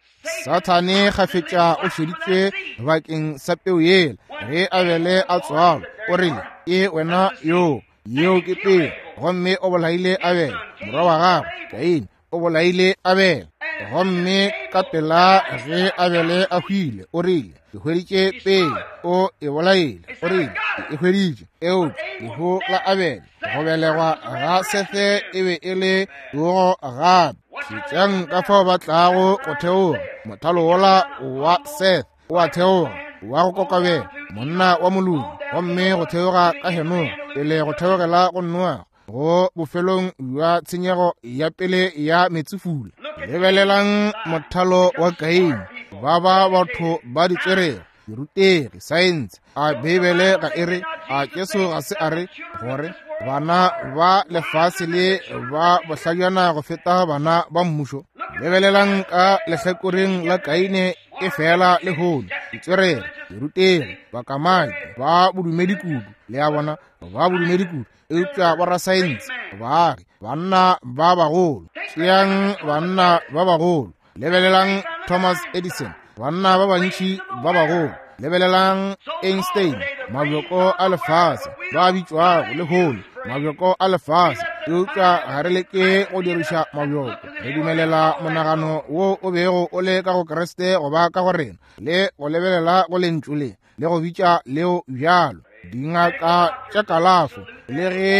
Sathane kgafetša o šeditšwe bakeng sa peu yela. Ge Abele a tswalwa, o rile, ke wena yo, yeo ke peu, gomme o bolaile Abele morwa wa gagwe. Kaine o bolaile Abele, gomme ka pela ge Abele a hwile, o rile, ke hweditše peu, o e bolaile. O rile, ke e hweditše. Eupša lehu la Abele, go belegwa ga Sethe e be e le tsogo gape. Šetšang ka fao ba tlago go theoga. Mothalo wola wa Seth o a theoga, wa go kokobela, monna wa molodi, gomme go theoga ka Henoge pele go theogela go Noa, go bofelong bja tshenyego ya pele ya metsefula. Lebelelang mothalo wa Kaine, ba ba batho ba ditswerere, dirutegi, saense. A Beibele ga e re, a Jesu ga se a re gore bana ba lefase le ba bohlajana go feta bana ba mmušo? Lebelelang ka lehlakoreng la Kaine e fela lehono, ditswerere, dirutegi, bakamaki, ba bodumedi kudu. Le a bona, ba bodumedi kudu, eupša borasaense, baagi, banna ba bagolo. Tšeang banna ba bagolo. Lebelelang Thomas Edison, banna ba bantši ba bagolo. Lebelelang Einstein, mabjoko a lefase ba bitšwago lehono mabjoko a lefase, eupša ga re leke go diriša mabjoko. Re dumelela monagano wo o bego o le ka go Kriste go ba ka go rena, le go lebelela go lentšu le, le go bitša leo bjalo. Dingaka tša kalafo, le ge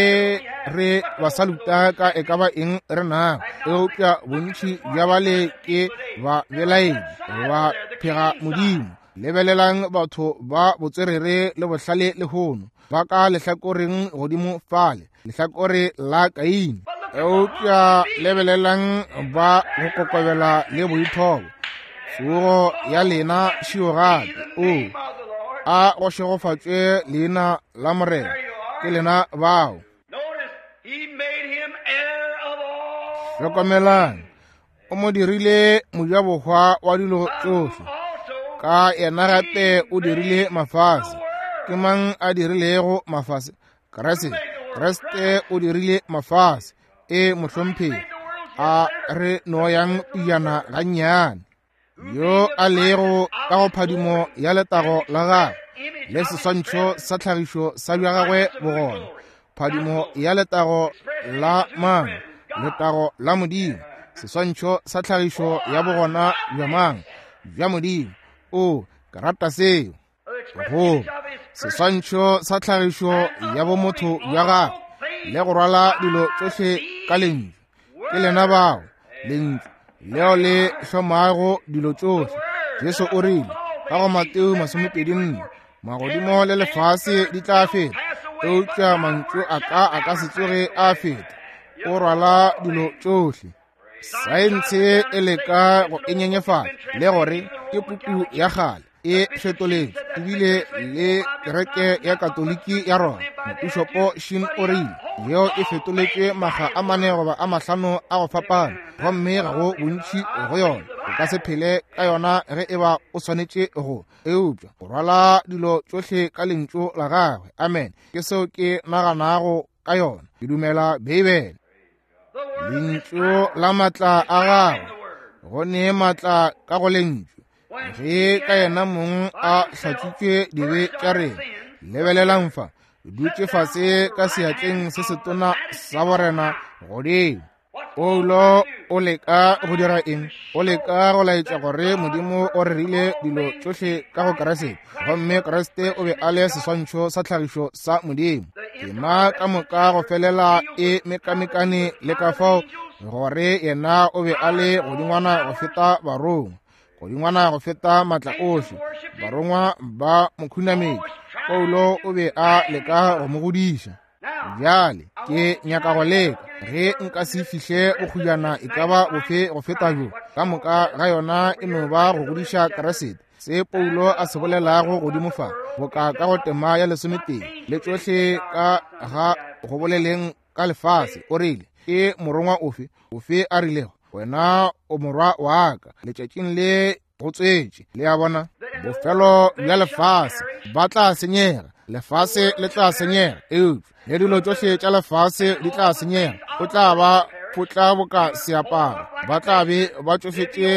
re ba saluta ka e ka ba eng re nago, eupša bontši bja bale ke ba belaedi, ba phega Modimo. Lebelelang batho ba botswerere le bohlale lehono, ba ka lehlakoreng godimo fale, lehlakore la Kaine. Eupša lebelelang ba go kokobela le boithobo. Tsogo ya lena šio gape. O a go šegofatšwe leina la Morena. Ke lena bao. Hlokomelang, o mo dirile mojabohwa wa dilo tšohle. Ka yena gape o dirile mafase. Ke mang a dirilego mafase? Kriste. Kriste o dirile mafase. E mohlomphegi, a re no yang pejana gannyane. Yo a lego ka go phadimo ya letago la gagwe le seswantšho sa tlhagišo sa bja gagwe bogona. Phadimo ya letago la mang? Letago la Modimo. Seswantšho sa tlhagišo ya bogona bja mang? Bja Modimo. O, ke rata seo. Go seswantšho sa tlhagišo ya bomotho bja gagwe le go rwala dilo tšohle ka lentšu. Ke lena bao, lentšu leo le hlomago dilo tšohle. Jesu o rile ka go Mateo masomepedi nne, magodimo le lefase di tla feta, eupša mantšu a ka a ka se tsoge a feta. O rwala dilo tšohle. Saense e leka go e nyenyefatša le gore ke puku ya kgale e fetoletšwe, ebile le kereke ya Katoliki ya Roma, Mopišopo Shin o rile yeo e fetoletšwe makga a mane goba a mahlano a go fapana, gomme ga go bontši go yona. O ka se phele ka yona ge e ba o swanetše go, eupša o rwala dilo tšohle ka lentšu la gagwe. Amen. Ke seo ke naganago ka yona. Ke dumela Beibele. Lentšu la matla a gagwe, go ne matla ka go lentšu. Ge ka yena mong a hlatswitšwe dibe tša rena. Lebelelang fa, dutše fase ka seatleng se setona sa borena godimo. Paulo o leka go dira eng? O leka go laetša gore Modimo o rerile dilo tšohle ka go Kriste, gomme Kriste o be a le seswantšho sa tlhagišo sa Modimo. Tema ka moka go felela e mekamekane le ka fao gore yena o be a le godingwana go feta barongwa, godingwana go feta matla ohle. Barongwa ba mo khunametše. Paulo o be a leka go mo godiša. Bjale ke nyaka go leka ge nka se fihle bokgujana e ka ba bofe go feta bjo. Ka moka ga yona e no ba go godiša Kriste. Se Paulo a se bolelago godimo fa, boka ka go tema ya lesometee le tšohle ka ga go boleleng ka lefase, o rile ke morongwa ofe ofe a rilego wena o morwa wa ka, letšatšing le go tswetše. Le a bona, bofelo bja lefase ba tla senyega, lefase le tla senyega, eupša le dilo tšohle tša lefase di tla senyega. O tla ba potla boka seaparo, ba tla be ba tšofetše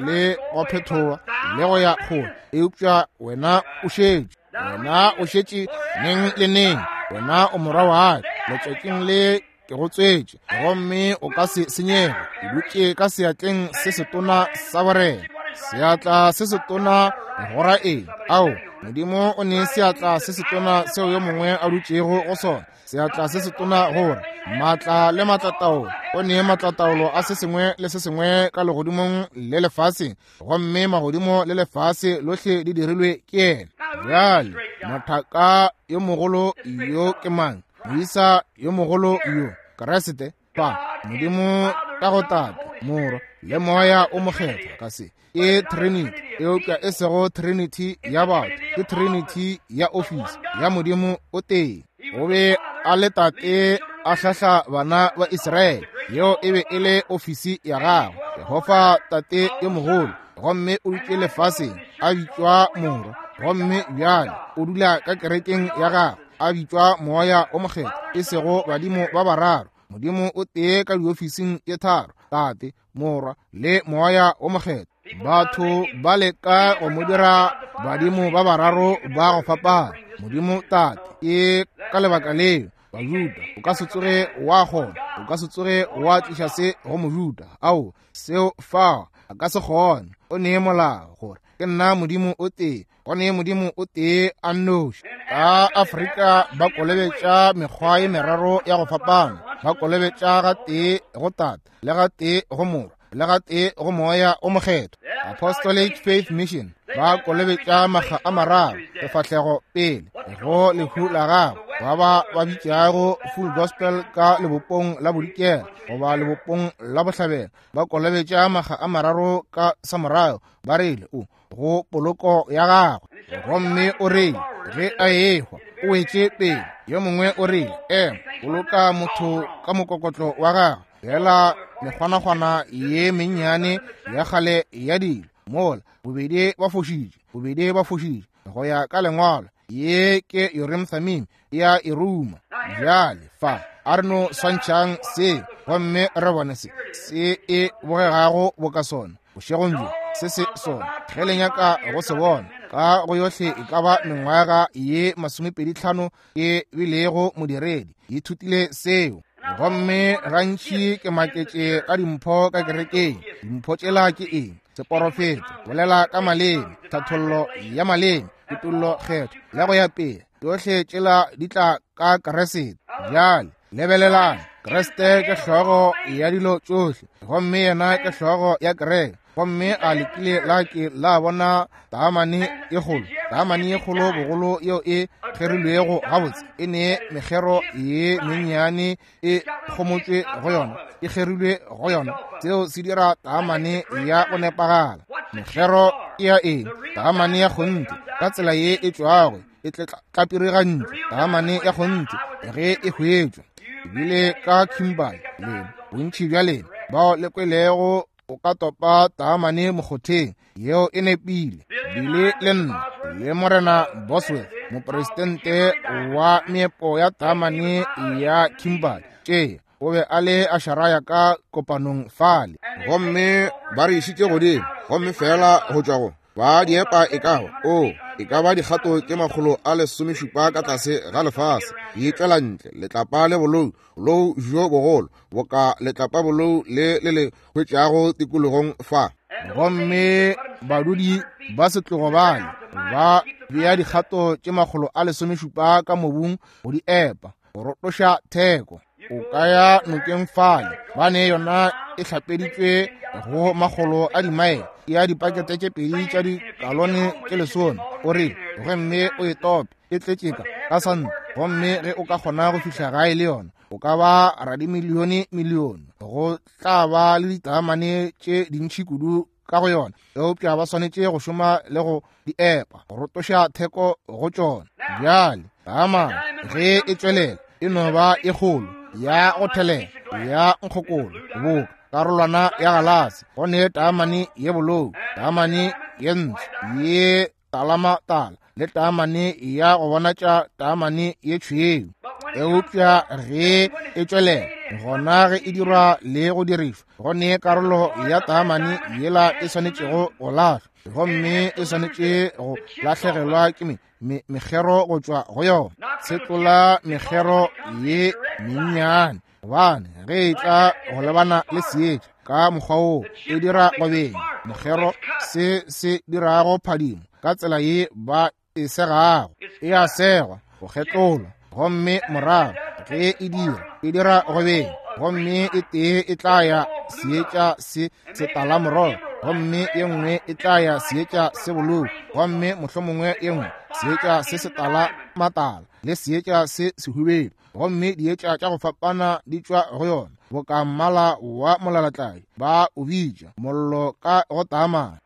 le go phethoa le go ya kgole, eupša wena o šetše, wena o šetše neng le neng. Wena o morwa wa ka, letšatšing le ke go tswetše, gomme o ka se senyege. Ke dutše ka seatleng se setona sa borena. Seatla se setona go ra eng? Ao, Modimo o ne seatla se setona seo yo mongwe a dutšego go sona. Seatla se setona gore matla le matlataolo. O ne matlataolo a se sengwe le se sengwe ka legodimong le lefaseng, gomme magodimo le lefase lohle di dirilwe ke yena. Bjale mothaka yo mogolo yo ke mang? Moisa yo mogolo yo, Kriste. Pa Modimo ka go Tate, Morwa le Moya o Mokgethwa ka se ke Trinity, eupša e sego Trinity ya batho, ke Trinity ya ofisi ya Modimo o tee. O be a le Tate a hlahla bana ba Israele, yeo e be e le ofisi ya gagwe, Jehofa Tate yo mogolo, gomme o dutše lefaseng a bitšwa Morwa, gomme bjale o dula ka kerekeng ya gagwe a bitšwa Moya o Mokgethwa, e sego badimo ba bararo, Modimo o tee ka diofising tše tharo, Tate, Morwa le Moya o Mokgethwa. Batho ba leka go mo dira badimo ba bararo ba go fapana. Modimo Tate ke ka lebaka leo Bajuda o ka se tsoge wa kgona, o ka se tsoge wa tliša se go Mojuda. Ao, seo fa a ka se kgone. O nee molao gore Ke nna Modimo o tee, go ne Modimo o tee a nnoši. Ka Afrika ba kolobetša mekgwa ye meraro ya go fapana. Ba kolobetša ga tee go Tate, le ga tee go Morwa, le ga tee go Moya o Mokgethwa. Apostolic Faith Mission ba kolobetša makga a mararo sefahlego pele go lehu la gagwe, ba ba ba bitšago Full Gospel ka lebopong la bodikela goba lebopong la bohlabela. Ba kolobetša makga a mararo ka samorago, ba rile o go poloko ya gagwe. Gomme o rile ge a ehwa o wetše pele. Yo mongwe o rile ema, boloka motho ka mokokotlo wa gagwe, fela mekgwanakgwana ye mennyane ya kgale ya dilo mola. Bobedi ba fošitše, bobedi ba fošitše go ya ka lengwalo. Ye ke Urim Thummim ya e ruma. Bjale fa a re no swantšhang se gomme re bone se se e bogegago boka sona bošegong bjo. Se se sona ge le nyaka go se bona ka go yohle e ka ba mengwaga ye masomepedi tlhano e bilego modiredi, ithutile seo. Gomme gantši ke maketše ka dimpho ka kerekeng. Dimpho tšela ke eng? Seporofeto, bolela ka maleme, tlhathollo ya maleme, kutollo kgetho, le go ya pele. Tšohle tšela di tla ka Kriste. Bjale lebelelang, Kriste ke hlogo ya dilo tšohle, gomme yena ke hlogo ya kereke. Gomme a lekile la ke la bona taamane e kgolo, taamane e kgolo bogolo yeo e kgerilwego gabotse, e ne mekgero ye mennyane e kgomotšwe go yona, e kgerilwe go yona. Seo se dira taamane ya go nepagala. Mekgero ke ya eng? Taamane ya kgonthe ka tsela ye e tšwago e tlapirigantšwe, taamane ya kgonthe ge e hwetšwa. Ebile ka Kimberley lena, bontši bja lena bao le kwelego o ka topa taamane mokgotheng, yeo e nepile. Bile le nna le Morena Bosworth, mopresidente wa meepo ya taamane ya Kimberley, tše o be a le a šaraya ka kopanong fale. Gomme ba re išitše godimo, gomme fela go tšwa go ba diepa e ka ba o e ka ba dikgato tše makgolo a lesomešupa ka tlase ga lefase, di tšwela ntle letlapa le bolou, bolou bjo bogolo boka letlapa bolou le le le hwetšago tikologong fa. Gomme badudi ba setlogo bale ba bea dikgato tše makgolo a lesomešupa ka mobung go di epa go rotoša theko. O ka ya nokeng fale, ba ne yona e hlapeditšwe go makgolo a dimaele ya dipakete tše pedi tša dikalone tše lesome. O rile gomme o e tope, e tletše ka ka santa, gomme ge o ka kgona go fihla gae le yona o ka ba radimilione milione. Go tla ba le ditaamane tše dintši kudu ka go yona, eupša ba swanetše go šoma le go di epa go rotoša theko go tšona. Bjale taamane ge e tšwelela e no ba e kgolo ya go thelela ya nkgokolo boka karolwana ya galase. Go ne taamane ye bolou, taamane ye ntsho ye talamatala, le taamane ya go bonatša taamane ye tšhweu. Eupša ge e tšwelela gona ge e dirwa le go dirišwa, go ne karolo ya taamane yela e swanetšego go lahlwa, gomme e swanetše go lahlegelwa ke me mekgero go tšwa go yona. Se tlola mekgero ye mennyane, gobane ge e tla go lebana le seetša ka mokgwa woo e dira go benya mokgero, se se dirago phadimo ka tsela ye ba e segago, e a segwa go kgetlolwa, gomme morago ge e dira e dira go benya, gomme e tee e tla ya seetša se setalamorogo, gomme ye nngwe e tla ya seetša se bolou, gomme mohlomongwe ye nngwe seetša se setala matala le seetša se sehubedu, gomme dietša tša go fapana di tšwa go yona boka mmala wa molalatladi ba o bitša mollo ka go taamane.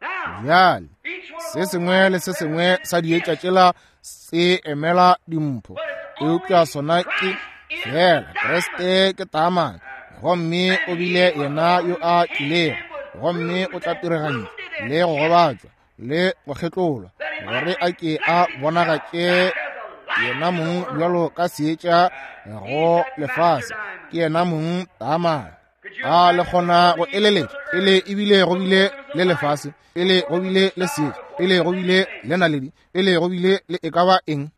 Bjale se sengwe le se sengwe sa dietša tšela se emela dimpho, eupša sona ke fela Kriste ke taamane, gomme o bile yena yo a tlilego, gomme o tla tiregantšwa le go gobatšwa le go kgetlolwa gore a ke a bonagatše yena mong bjalo ka seetša go lefase. Ke yena mong taamane. A le kgona go eleletša pele ebile go bile le lefase, pele go bile le seetša, pele go bile le naledi, pele go bile le e ka ba eng?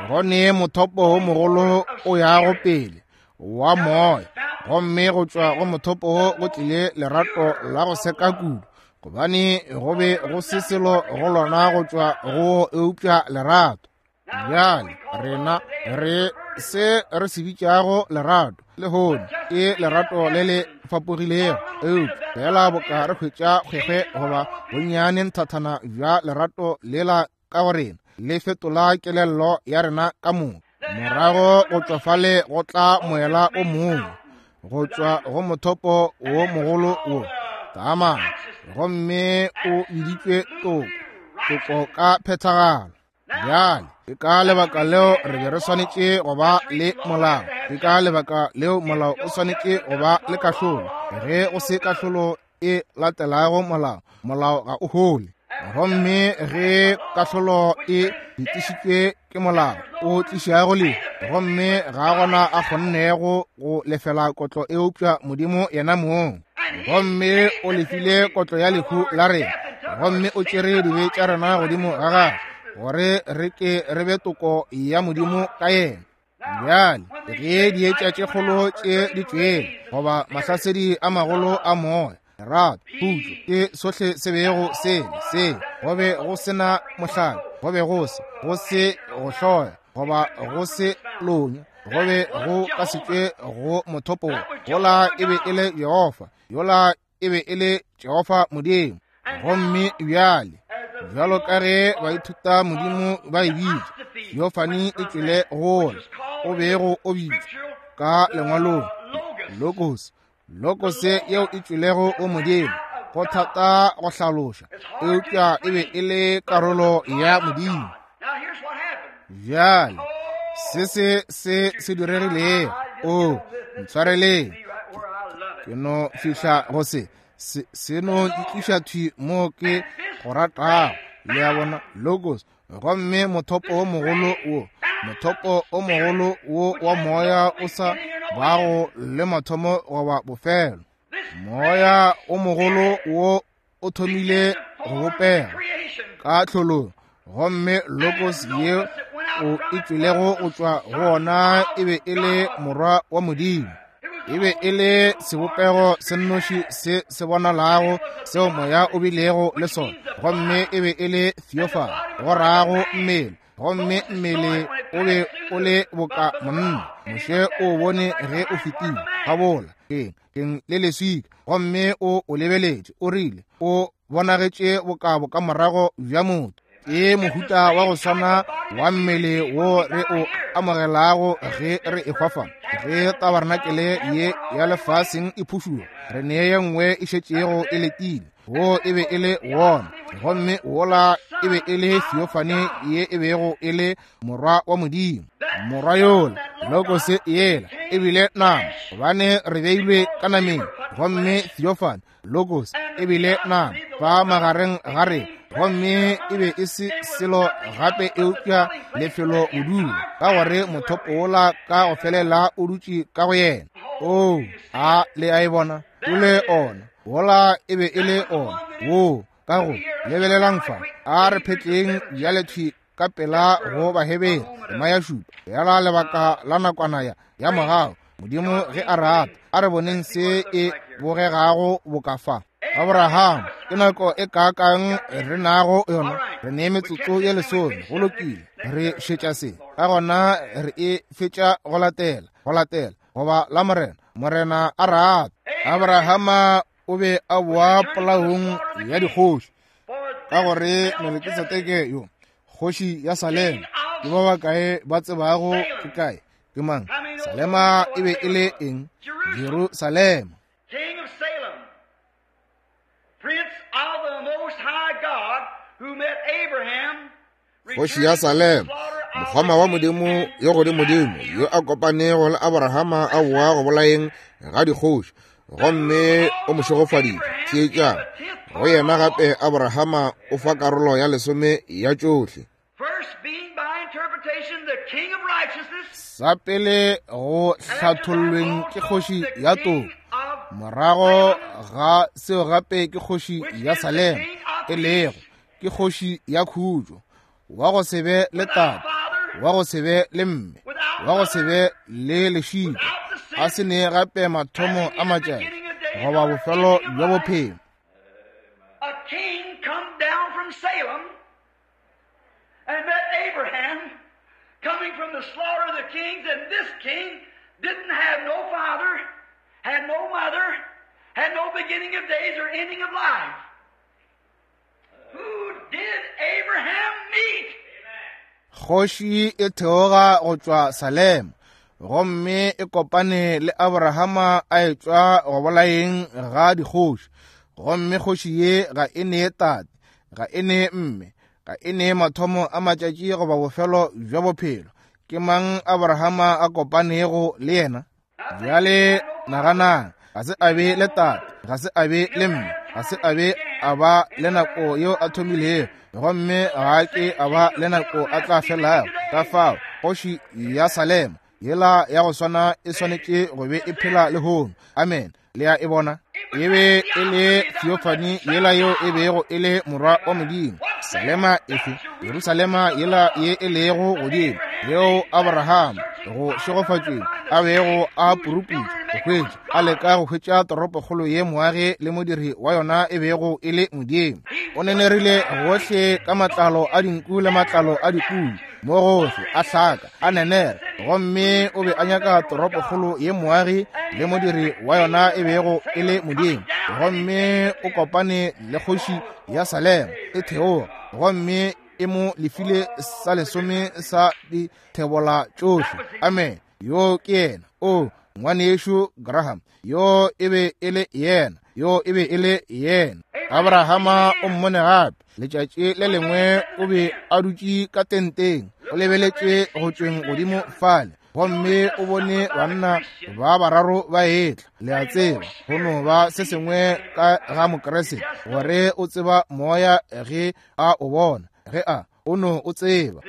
Go ne mothopo wo mogolo o yago pele wa moya, gomme go tšwa go mothopo wo go tlile lerato la go seka kudu, gobane go be go se selo go lona go tšwa go eupša lerato. Bjale rena re se re se bitšago lerato lehono ke lerato le le fapogilego, eupša fela boka re hwetša kgwekgwe goba bonnyane nthathana bja lerato lela ka go rena, le fetola kelello ya rena ka moka. Morago go tšwa fale go tla moela o mongwe go tšwa go mothopo wo mogolo wo taamane, gomme o biditšwe toko, toko ka phethagalo. Bjale ke ka lebaka leo re be re swanetše go ba le molao, ke ka lebaka leo molao o swanetše go ba le kahlolo. Ge go se kahlolo e latelago molao, molao ga o hole. Gomme ge kahlolo e fetišitšwe ke molao o tlišago lehu, gomme ga gona a kgonnego go lefela kotlo eupša Modimo yena mong. Gomme o lefile kotlo ya lehu la rena, gomme o tšere dibe tša rena godimo ga gagwe, gore re ke re be toko ya Modimo ka yena. Bjale ge dietša tše kgolo tše di tšwele, goba mahlasedi a magolo a moya, lerato, khutšo, ke sohle se bego se le se, go be go se na mohlala, go be go se go se go hloya, goba go se lonya, go be go ka se tšwe go mothopo. Yola e be e le Jehofa, yola e be e le Jehofa Modimo. Gomme bjale bjalo ka ge baithuta Modimo ba e bitša, theophany e tšwele gola o bego o bitšwa ka lengwalong logos, logos yeo e tšwelego go Modimo. Go thata go hlaloša, eupša e be e le karolo ya Modimo. Bjale se se se se diregilego, o ntshwareleng, ke no fihla go se se se no ntliša thwi mo ke go ratago. Le a bona, logos. Gomme mothopo o mogolo wo, mothopo o mogolo wo wa moya o sa bago le mathomo goba bofelo. Moya o mogolo wo o thomile go bopega ka tlholong, gomme logos ye o e tšwelego go tšwa go ona e be e le morwa wa Modimo. E be e le sebopego se nnoši se se bonalago seo moya o bilego le sona, gomme e be e le theophany, go rago mmele. Gomme mmele o be o le boka monna. Moshe o bone ge o fetile gabola keng keng le leswika, gomme o o lebeletše, o rile o bonagetše boka bokamorago bja motho. Ke mohuta wa go swana wa mmele wo re o amogelago ge re ehwa fa. Ge tabarnakele ye ya lefaseng e phušuwa, re ne ye nngwe e šetšego e letile. Wo e be e le wona, gomme wola e be e le theophany ye e bego e le morwa wa Modimo. Morwa yola, logos yela, e bile nama, gobane re beilwe ka nameng. Gomme theophany, logos, e bile nama fa magareng ga rena, gomme e be e se selo gape eupša lefelo bodulo, ka gore mothopo wola ka go felela o dutše ka go yena. Oo, a le a e bona? O le ona, wola e be e le ona wo ka go lebelelang fa. A re phetleng bjale thwi ka pela go Bahebere tema ya šupa, yala lebaka la nakwana ya ya mogau. Modimo ge a rata, a re boneng se e bogegago boka fa. Abraham, ke nako e kaakang re nago yona? Re ne metsotso ye lesome. Go lokile, re šetša se, ka gona re e fetša go latela, go latela goba la Morena. Morena a rata. Abrahama o be a boa polaong ya dikgoši, ka gore Melkisedeke yo, kgoši ya Salema, ke ba bakae ba tsebago ke kae ke mang? Salema e be e le eng? Jerusalema. King of Salem, Prince of the Most High God, who met Abraham, Kgoši ya Salema, mokgoma wa Modimo yo godimodimo, yo a kopanego le Abrahama a boa go bolaeng ga dikgoši, gomme o mo šegofaditše. Theetšang, go yena gape Abrahama o fa karolo ya lesome ya tšohle. First being by interpretation the King of righteousness, Sa pele go hlathollweng ke kgoši ya toko, morago ga seo gape ke kgoši ya Salema, e lego ke kgoši ya khutšo, wa go se be le tate, wa go se be le mme, wa go se be le lešika, a se ne gape mathomo a matšatši goba bofelo bja bophelo. a Coming from the slaughter of the kings, and this king didn't have no father, had no mother, had no beginning of days or ending of life. Who did Abraham meet? Kgoši e theoga go tšwa Salem, gomme e kopane le Abrahama a etšwa go bolayeng ga dikgoši. Gomme kgoši ye ga e ne tate, ga e ne mme, ga e ne mathomo a matšatši goba bofelo bja bophelo. Ke mang Abrahama a kopanego le yena? Bjale naganang, ga se a be le tate, ga se a be le mme, ga se a be a ba le nako yeo a thomilego, gomme ga ke a ba le nako a tla felago. Ka fao kgoši ya Salem yela ya go swana e swanetše go be e phela lehono. Amen. Le a e bona? E be e le theophany yela yeo e bego e le morwa wa Modimo. Salema efe? Jerusalema yela ye e lego godimo, yeo Abraham go šegofatšweng a bego a puruputša go hwetša, a leka go hwetša toropokgolo ye moagi le modiri wa yona e bego e le Modimo. O nenerile gohle ka matlalo a dinku le matlalo a dipudi, mo gohle a hlaka a nenera, gomme o be a nyaka toropokgolo ye moagi le modiri wa yona e bego e le Modimo. Gomme o kopane le kgoši ya Salem e theoga, gomme e mo lefile sa lesome sa dithebola tšohle. Amen. Yo ke yena. O ngwanešu Graham, yo e be e le yena, yo e be e le yena. Abrahama o mmone gape letšatši le lengwe, o be a dutše ka tenteng, o lebeletše go tšweng godimo fale, gomme o bone banna ba bararo ba etla. Le a tseba, go no ba se sengwe ka ga Mokriste gore o tseba moya ge a o bona, ge a o no o tseba,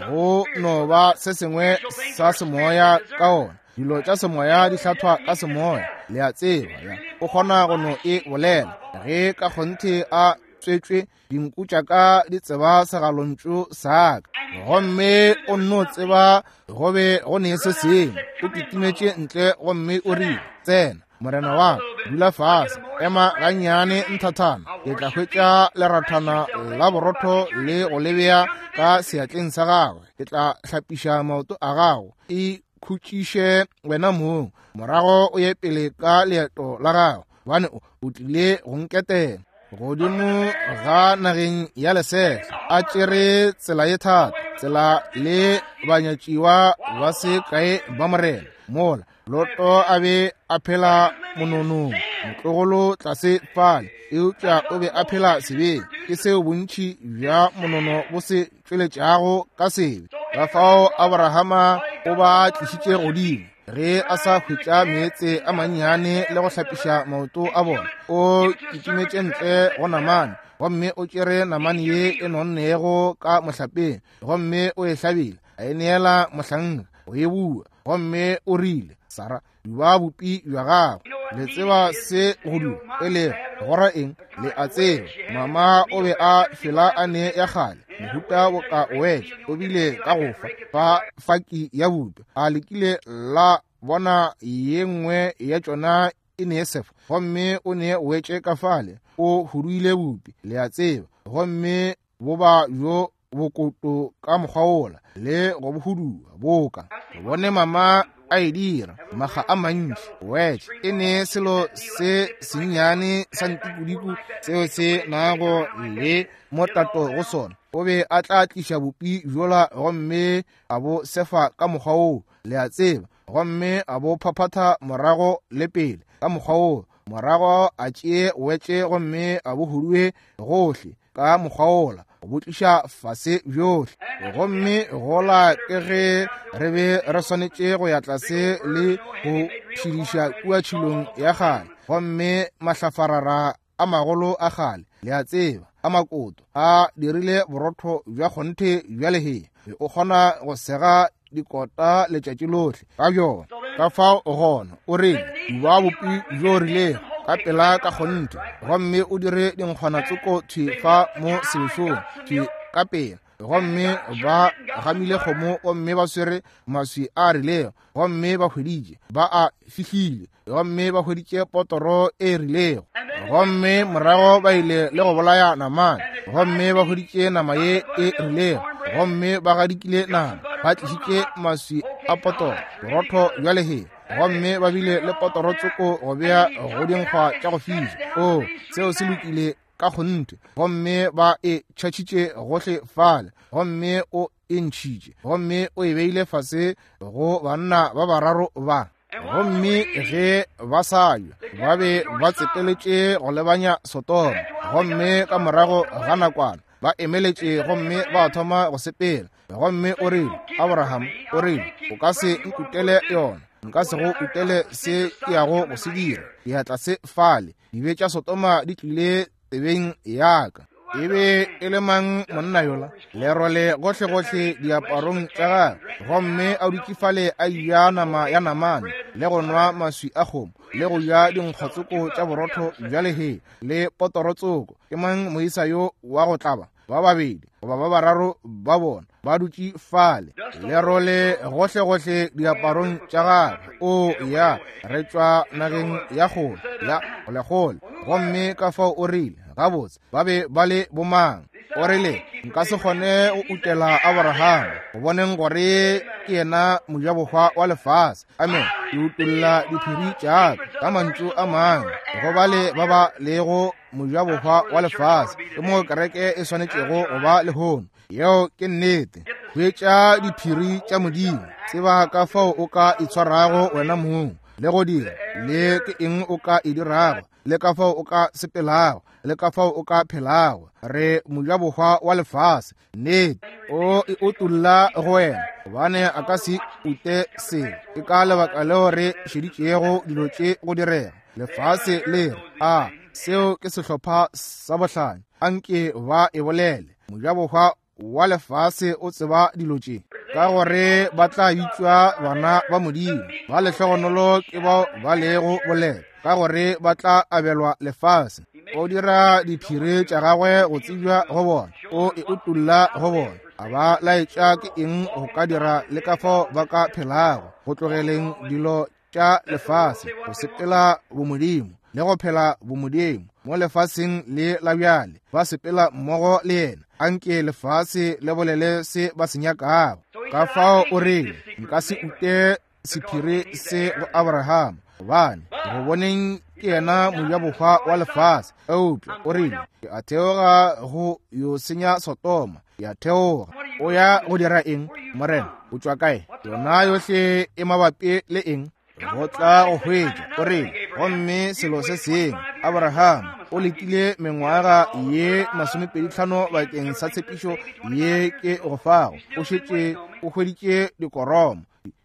go no ba se sengwe sa semoya ka ona. Dilo tša semoya di hlathwa ka semoya. Le a tseba, ya o kgona go no e bolela ge ka kgonthe a tswetšwe. Dinku tša ka di tseba segalontšu sa ka, gomme o nno tseba go be go ne se sengwe. O kitimetše ntle gomme o rile, tsena morena wa ka, dula fase, ema gannyane nthathana, ke tla hwetša lerathana la borotho le go lebea ka seatleng sa gagwe, ke tla hlapiša maoto a gago, e khutšiše wena mong, morago o ye pele ka leeto la gago, gobane o tlile go nketela. Godimo ga nageng ya lesehla a tšere tsela ye thata, tsela le banyatšiwa ba se kae ba morena. Mola Loto a be a phela mononong, motlogolo tlase fale, eupša o be a phela sebeng. Ke seo bontši bja monono bo se tšweletšago ka sebe. Ka fao Abrahama o ba tlišitše godimo ge a sa hwetša meetse a mannyane le go hlapiša maoto a bona. O kitimetše ntle go namane, gomme o tšere namane ye e nonnego ka mohlapeng, gomme o e hlabile, a e neela mohlanka go e bua, gomme o rile, Sara, duba bopi bja gago. Le tseba se go duba e lego gora eng? Le a tseba, mama o be a fela a ne ya kgale mohuta boka wetše, o bile ka go fa fa faki ya bupi, a lekile la bona ye nngwe ya tšona e ne sefa, gomme o ne wetše ka fale, o huduile bupi, le a tseba, gomme boba bjo bokoto ka mokgwa wola le go bohudua boka. Bone mama a e dira maga a mantši. Wetše e ne selo se sennyane sa ntikudiku seo se nago le motato go sona. O be a tla tliša bopi bjola gomme a bo sefa ka mokgwa woo, le a tseba, gomme a bo phaphatha morago le pele ka mokgwa woo, morago a tšee wetše gomme a bo hudue gohle ka mokgwa wola, go bo tliša fase bjohle. Gomme gola ke ge re be re swanetše go ya tlase le go tšhidiša kua tšhilong ya kgale, gomme mahlafarara a magolo a kgale, le a tseba, a makoto a dirile borotho bja kgonthe bja lehea, o kgona go sega dikota letšatši lohle ka bjona. Ka fao gona o rile, duba bopi bjo rilego ka pela ka kgonthe, gomme o dire dinkgwana tsoko thwi fa mo sebešong thwi ka pela. Gomme ba gamile kgomo, gomme ba swere maswi a rilego, gomme ba hweditše ba a fihlile, gomme ba hweditše potoro e rilego, gomme morago ba ile le go bolaya namane, gomme ba hweditše nama ye e rilego, Gomme ba gadikile nama, ba tlišitše maswi a potoro, borotho bja lehea, gomme ba bile le potoro tsoko go bea go dinkgwa tša go fiša. O, seo se lokile ka kgonthe. Gomme ba e tšhatšhitše gohle fale, gomme o e ntšhitše, gomme o e beile fase go banna ba bararo ba. Gomme ge ba sa ja, ba be ba tsepeletše go lebanya Sodoma. Gomme ka morago ga nakwana ba emeletše gomme ba thoma go sepela. Gomme o rile, Abraham, o rile, o ka se nkutele yona, nka se go utele se ke yago go se dira. Diatla se fale, dibe tša Sodoma di tlile tsebeng ya ka. E be e le mang monna yola? Lerole gohlegohle diaparong tša gagwe, gomme a dutše fale a ja nama ya namane, le go nwa maswi a kgomo, le go ja dinkgwatsoko tša borotho bja lehea, le potorotsoko. Ke mang moisa yo wa go tlaba? Ba babedi goba ba bararo ba bona ba dutše fale, lerole gohlegohle diaparong tša gagwe. O ya, re tšwa nageng ya kgole, ya kgolekgole. Gomme ka fao o rile, gabotse, ba be ba le bomang? O rile, nka se kgone go utela Abraham, go boneng gore ke yena mojabohwa wa lefase. Amen. Ke utolla diphiri tša ka ka mantšu a mangwe go bale ba ba lego mojabohwa wa lefase. Ke mo kereke e swanetšego go ba lehono. Yeo ke nnete. Hwetša diphiri tša Modimo, tseba ka fao o ka itshwarago wena mong, le go dira, le ke eng o ka e dirago, le ka fao o ka sepelago, le ka fao o ka phelago. Re mojabohwa wa lefase. Nnete. O e utolla go wena, gobane a ka se ute selo. Ke ka lebaka leo re šeditšego dilo tše go direga. Lefase le re, a seo ke sehlopha sa bohlanya, anke ba e bolele. Mojabohwa wa lefase o tseba dilo tše, ka gore ba tla bitšwa bana ba Modimo. Ba lehlogonolo ke bao ba lego bolela, ka gore ba tla abelwa lefase. O dira diphiri tša gagwe go tsebja go bona, o e utolla go bona, a ba laetša ke eng go ka dira le ka fao ba ka phelago, go tlogeleng dilo tša lefase, go sepela bomodimo le go phela bomodimo mo lefaseng le la bjale. Ba sepela mmogo le yena. Anke lefase le bolele se ba se nyakago. Ka fao o rile, nka se ute sephiri se go Abraham, gobane go boneng ke yena mojabohwa wa lefase. Eupša o rile, ke a theoga go yo senya Sodoma. Ke a theoga. O ya go dira eng, Morena? O tšwa kae? Yona yohle e mabapi le eng? Go tla go hwetša. O rile, gomme selo se sengwe, Abraham o letile mengwaga ye masomepedi tlhano bakeng sa tshepišo ye ke go fago. O šetše o hweditše dikoromo,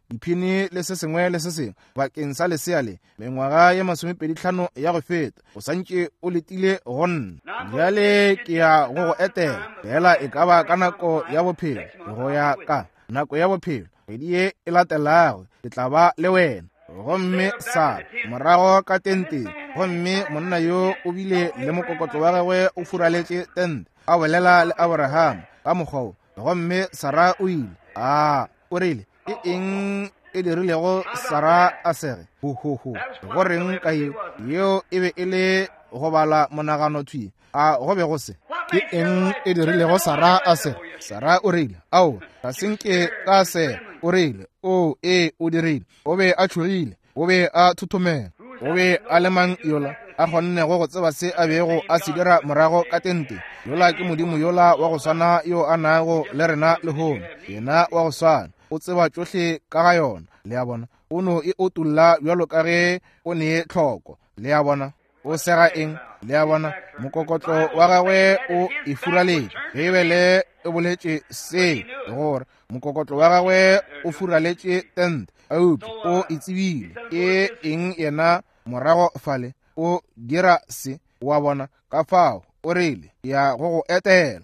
diphini le se sengwe le se sengwe bakeng sa lesea le, mengwaga ye masomepedi tlhano ya go feta. O santše o letile go nna. Bjale ke ya go go etela, fela e ka ba ka nako ya bophelo, go ya ka nako ya bophelo, kgwedi ye e latelago ke tla ba le wena. Gomme Sara morago ka tenteng, gomme monna yo o bile le mokokotlo wa gagwe o furaletše tente, a bolela le Abraham ka mokgwa wo. Gomme Sara o ile, a o rile, ke eng e dirilego Sara a sege? Ho ho ho. Go reng ka yeo? Yeo e be e le go bala monagano thwi. A go be go se? Ke eng e dirilego Sara a sege? Sara o rile, ao, ga se nke ka sega. O rile, o, ee, o dirile. O be a tšhogile, o be a thothomela. O be a le mang yola a kgonnego go tseba se a bego a se dira morago ka tente? Yola ke Modimo yola wa go swana yo a nago le rena lehono, yena wa go swana. O tseba tšohle ka ga yona. Le a bona? O no e otolla bjalo ka ge o ne tlhoko. Le a bona? O sega eng? Le a bona? Mokokotlo wa gagwe o e furaletše. Beibele e boletše se, gore mokokotlo wa gagwe o furaletše tente, eupša o e tsebile ke eng yena morago fale. O dira se, wa bona. Ka fao o rile, ke ya go go etela.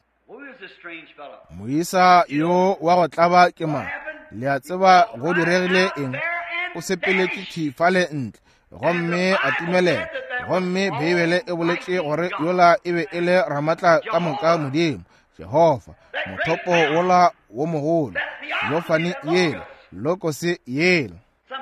Moisa yo wa go tlaba ke mang? Le a tseba go diregile eng? O sepeletše thwi fale ntle, gomme a timelela. Gomme Beibele e boletše gore yola e be e le Ramatla ka moka Modimo, Jehofa, mothopo wola wo mogolo, yofane yela, lokose yela.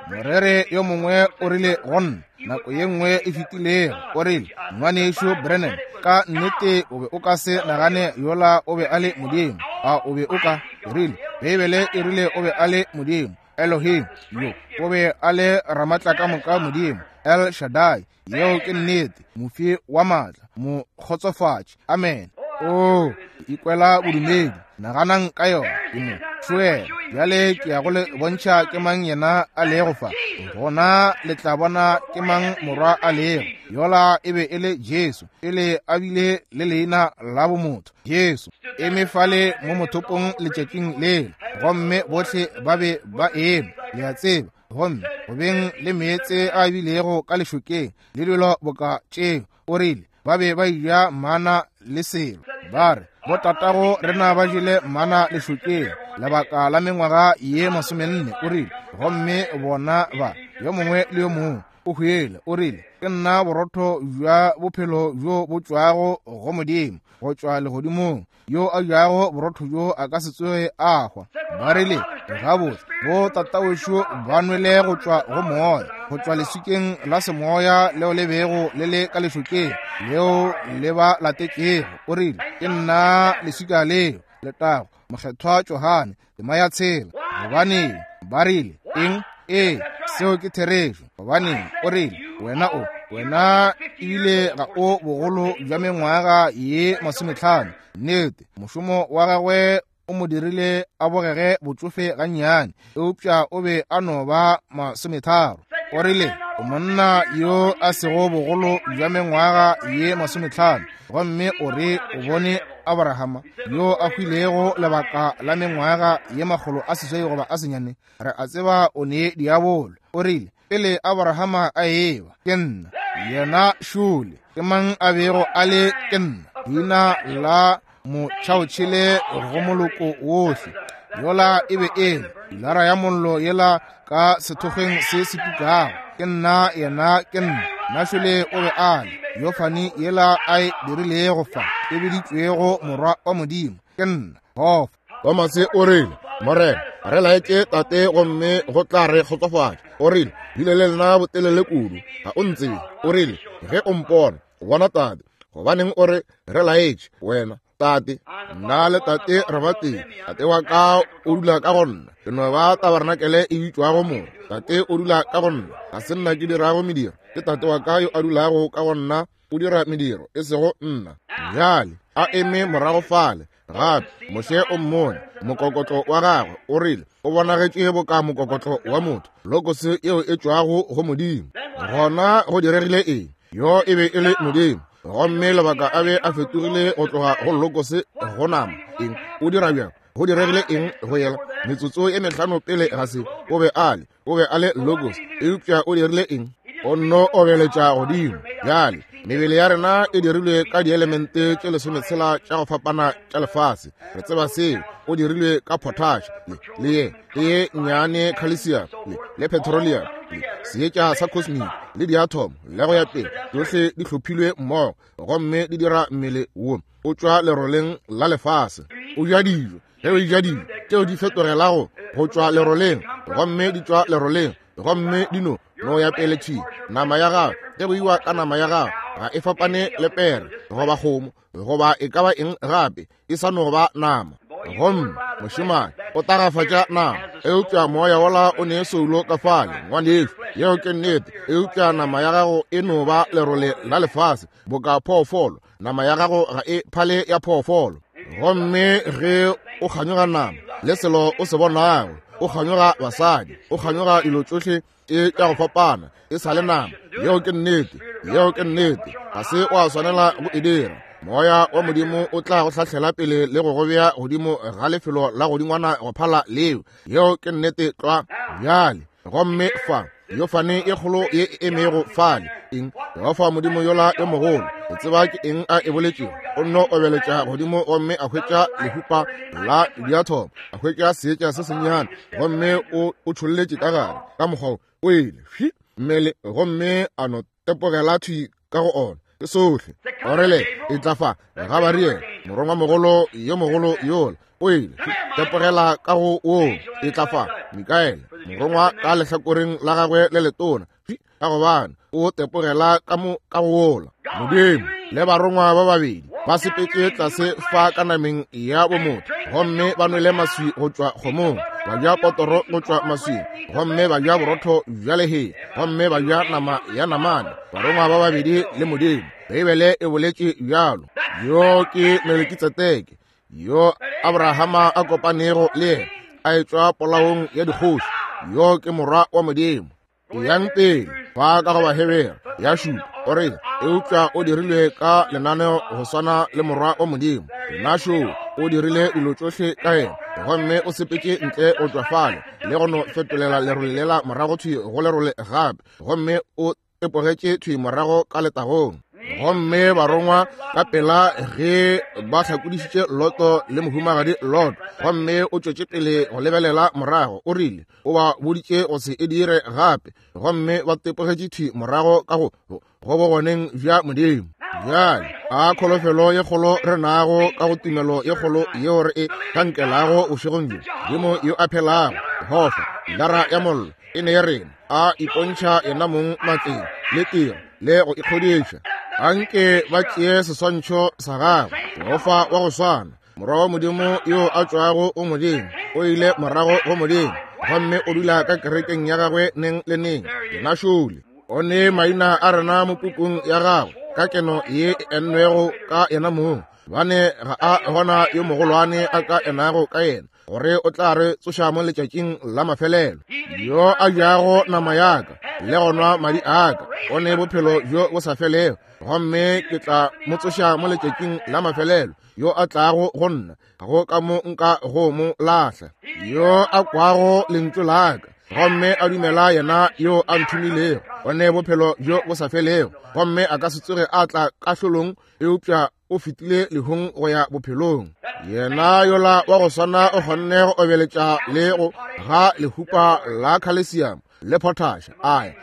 Morere yo mongwe o rile go nna nako ye nngwe e fetilego, o rile, ngwanešu Branham, ka nnete o be o ka se nagane yola o be a le Modimo. A o be o ka? Ke rile, Beibele e rile o be a le Modimo, Elohim, yo o be a le Ramatlakamoka Modimo, El Shaddai. Yeo ke nnete, mofi wa maatla, mokgotsofatši. Amen. O ikwela bodumedi, naganang ka yona. Ke mo tšwela bjale, ke ya go le bontšha ke mang yena a lego fa. Gona le tla bona ke mang morwa a lego. Yola e be e le Jesu, pele a bile le leina la bomotho. Jesu eme fale mo mothopong letšatšing lela, gomme bohle ba be ba eme, le a tseba, gomme go beng le meetse a bilego ka lešokeng le dilo boka tšeo. O rile ba be ba eja mana le selo. Ba re botatago rena ba jele mana lešokeng lebaka la mengwaga ye masomenne. O rile gomme bona ba yo mongwe le yo mongwe o hwele. O rile ke nna borotho bja bophelo bjo bo tšwago go Modimo, go tšwa legodimong. Yo a jago borotho bjo a ka se tsoge a hwa. Ba rile gabotse bo tatawešo ba nwele go tšwa go moya, go tšwa leswikeng la semoya leo le bego le le ka lešokeng leo le ba latetšego. O rile ke nna leswika leo. Letago Mokgethwa Johane tema ya tshela. Gobaneng ba rile eng? Ee, seo ke therešo. Gobaneng o rile wena o wena ebile ga o bogolo bja mengwaga ye masometlhano. Nnete, mošomo wa gagwe o mo dirile a bogege botšofe gannyane, eupša o be a no ba masometharo. O rile o monna yo a sego bogolo bja mengwaga ye masometlhano, gomme o re o bone Abrahama yo a hwilego lebaka la mengwaga ye makgolo a seswai goba a senyane. Re a tseba o ne diabolo. O rile pele Abrahama a eba, ke nna yena šole. Ke mang a bego a le ke nna? Leina la motšhaotšhele go moloko wohle. Yola e be e le pilara ya mollo yela ka sethokgweng se se tukago. Ke nna yena, ke nna. Našole o be a le yofane yela a e dirilego fa, e biditšwego morwa wa Modimo. Ke nna Hofa. Tomase o rile, Morena, re laetše tate gomme go tla re kgotsofatša. O rile, bile le nna botelele kudu, ga o ntsebe. O rile, ge o mpona, o bona tate. Gobaneng o re re laetše wena tate? Nna le tate re ba tee. Tate wa ka o dula ka go nna. Ke no ba tabarnakele e bitšwago mo. Tate o dula ka go nna. Ga se nna ke dirago mediro, ke tate wa ka yo a dulago ka go nna o dira mediro, e sego nna. Bjale a eme morago fale gape. Moshe o mmone mokokotlo wa gagwe, o rile o bonagetše boka mokokotlo wa motho, lokose yeo e tšwago go Modimo. Gona go diregile eng? Yo e be e le Modimo, gomme lebaka a be a fetogile go tloga go lokose go nama. Eng o dira bjang? Go diregile eng go yela? Metsotso e mehlano pele ga se, o be a le o be a le logos, eupša o dirile eng? O nno obeletša godimo. Bjale mebele ya rena e dirilwe ka dielemente tše lesometshela tša go fapana tša lefase. Re tseba seo. O dirilwe ka potash le le ye le ye nnyane calcium le le petroleum le seetša sa cosmic le diatom le go ya pele. Tšohle di hlophilwe mmogo gomme di dira mmele wo o tšwa leroleng la lefase. O ja dijo, ge o ja dijo tšeo di fetogelago go tšwa leroleng, gomme di tšwa leroleng, gomme di no no ya pele thwi. Nama ya gago ge go iwa ka nama ya gago ga e fapane le pere goba kgomo goba e ka ba eng gape, e sa no ba nama. Gomme mošemane o tagafatša nama, eupša moya wola o ne soulo ka fale, ngwanešu. Yeo ke nnete. Eupša nama ya gago e no ba lerole la lefase boka phoofolo. Nama ya gago ga e phale ya phoofolo. Gomme ge o kganyoga nama le selo o se bonago, o kganyoga basadi, o kganyoga dilo tšohle e tša go fapana, e sa le nama. Yeo ke nnete. Yeo ke nnete. Ga se wa swanela go e dira. Moya wa Modimo o tla go hlahlela pele le go go bea godimo ga lefelo la godingwana go phala leo. Yeo ke nnete tlwa. Bjale gomme fa yofane e kgolo ye e emego fale, eng? Jehofa Modimo yola yo mogolo, o tseba ke eng a e boletšego? O nno obeletša godimo gomme a hwetša lehupa la diathomo, a hwetša seetša se sennyane, gomme o o tšholletše ka gare ka mokgwa o ile hwi mmele, gomme a no tepogela thwi ka go ona. Ke sohle. O rile e tla fa Gabariele, morongwamogolo yo mogolo yola, o ile tepogela ka go woo. E tla fa Mikaele, morongwa ka lehlakoreng la gagwe le letona, ka gobane o tepogela ka mo ka go wola. Modimo le barongwa ba babedi Ba sepetše tlase fa ka nameng ya bomotho, gomme ba nwele maswi go tšwa kgomong, ba ja potoro go tšwa maswing, gomme ba ja borotho bja lehea, gomme ba ja nama ya namane. Barongwa ba babedi le Modimo. Beibele e boletše bjalo. Yo ke Melekitsedeke yo Abrahama a kopanego le yena a etšwa polaong ya dikgoši. Yo ke morwa wa Modimo. Yang pele fa ka go Bahebere ya šupa o re, eupša o dirilwe ka lenaneo go swana le morwa wa Modimo. Yena šo o dirile dilo tšohle ka yena, gomme o sepetše ntle go tšwa fale le go no fetolela lerole lela morago thwi go lerole gape, gomme o tepogetše thwi morago ka letagong. Gomme barongwa ka pela ge ba hlakodišitše Loto le mohumagadi Loto, gomme o tšwetše pele go lebelela morago, o rile o ba boditše go se e dire gape, gomme ba tepogetše thwi morago ka go go bogoneng bja Modimo. Bjale a kholofelo ye kgolo re nago ka go tumelo ye kgolo yeo re e hlankelago bošegong bjo. Modimo yo a phelago, Jehofa, lara ya mollo e ne rena, a ipontšha yena mong matleng le tiro le go ikgodiša. Anke ba tšee seswantšho sa gagwe, Jehofa wa go swana, morwa wa Modimo yo a tšwago go Modimo, o ile morago go Modimo, gomme o dula ka kerekeng ya gagwe neng le neng. Yena šole o ne maina a rena mo pukung ya gagwe ka keno ye e ennwego ka yena mong, bane ga a gona yo mogolwane a ka enago ka yena, gore o tla re tsoša mo letšatšing la mafelelo. Yo a jago nama yaka le go nwa madi aka o ne bophelo bjo bo sa felego, gomme ke tla mo tsoša mo letšatšing la mafelelo. Yo a tlago go nna ga go ka mo nka go mo lahla. Yo a kwago lentšu laka gomme a dumela yena yo a nthomilego o ne bophelo bjo bo sa felego, gomme a ka se tsoge a tla kahlolong, eupša o fetile lehung go ya bophelong. Yena yola wa go swana o kgonne go obeletša le go ga lehupa la calcium le potash aya,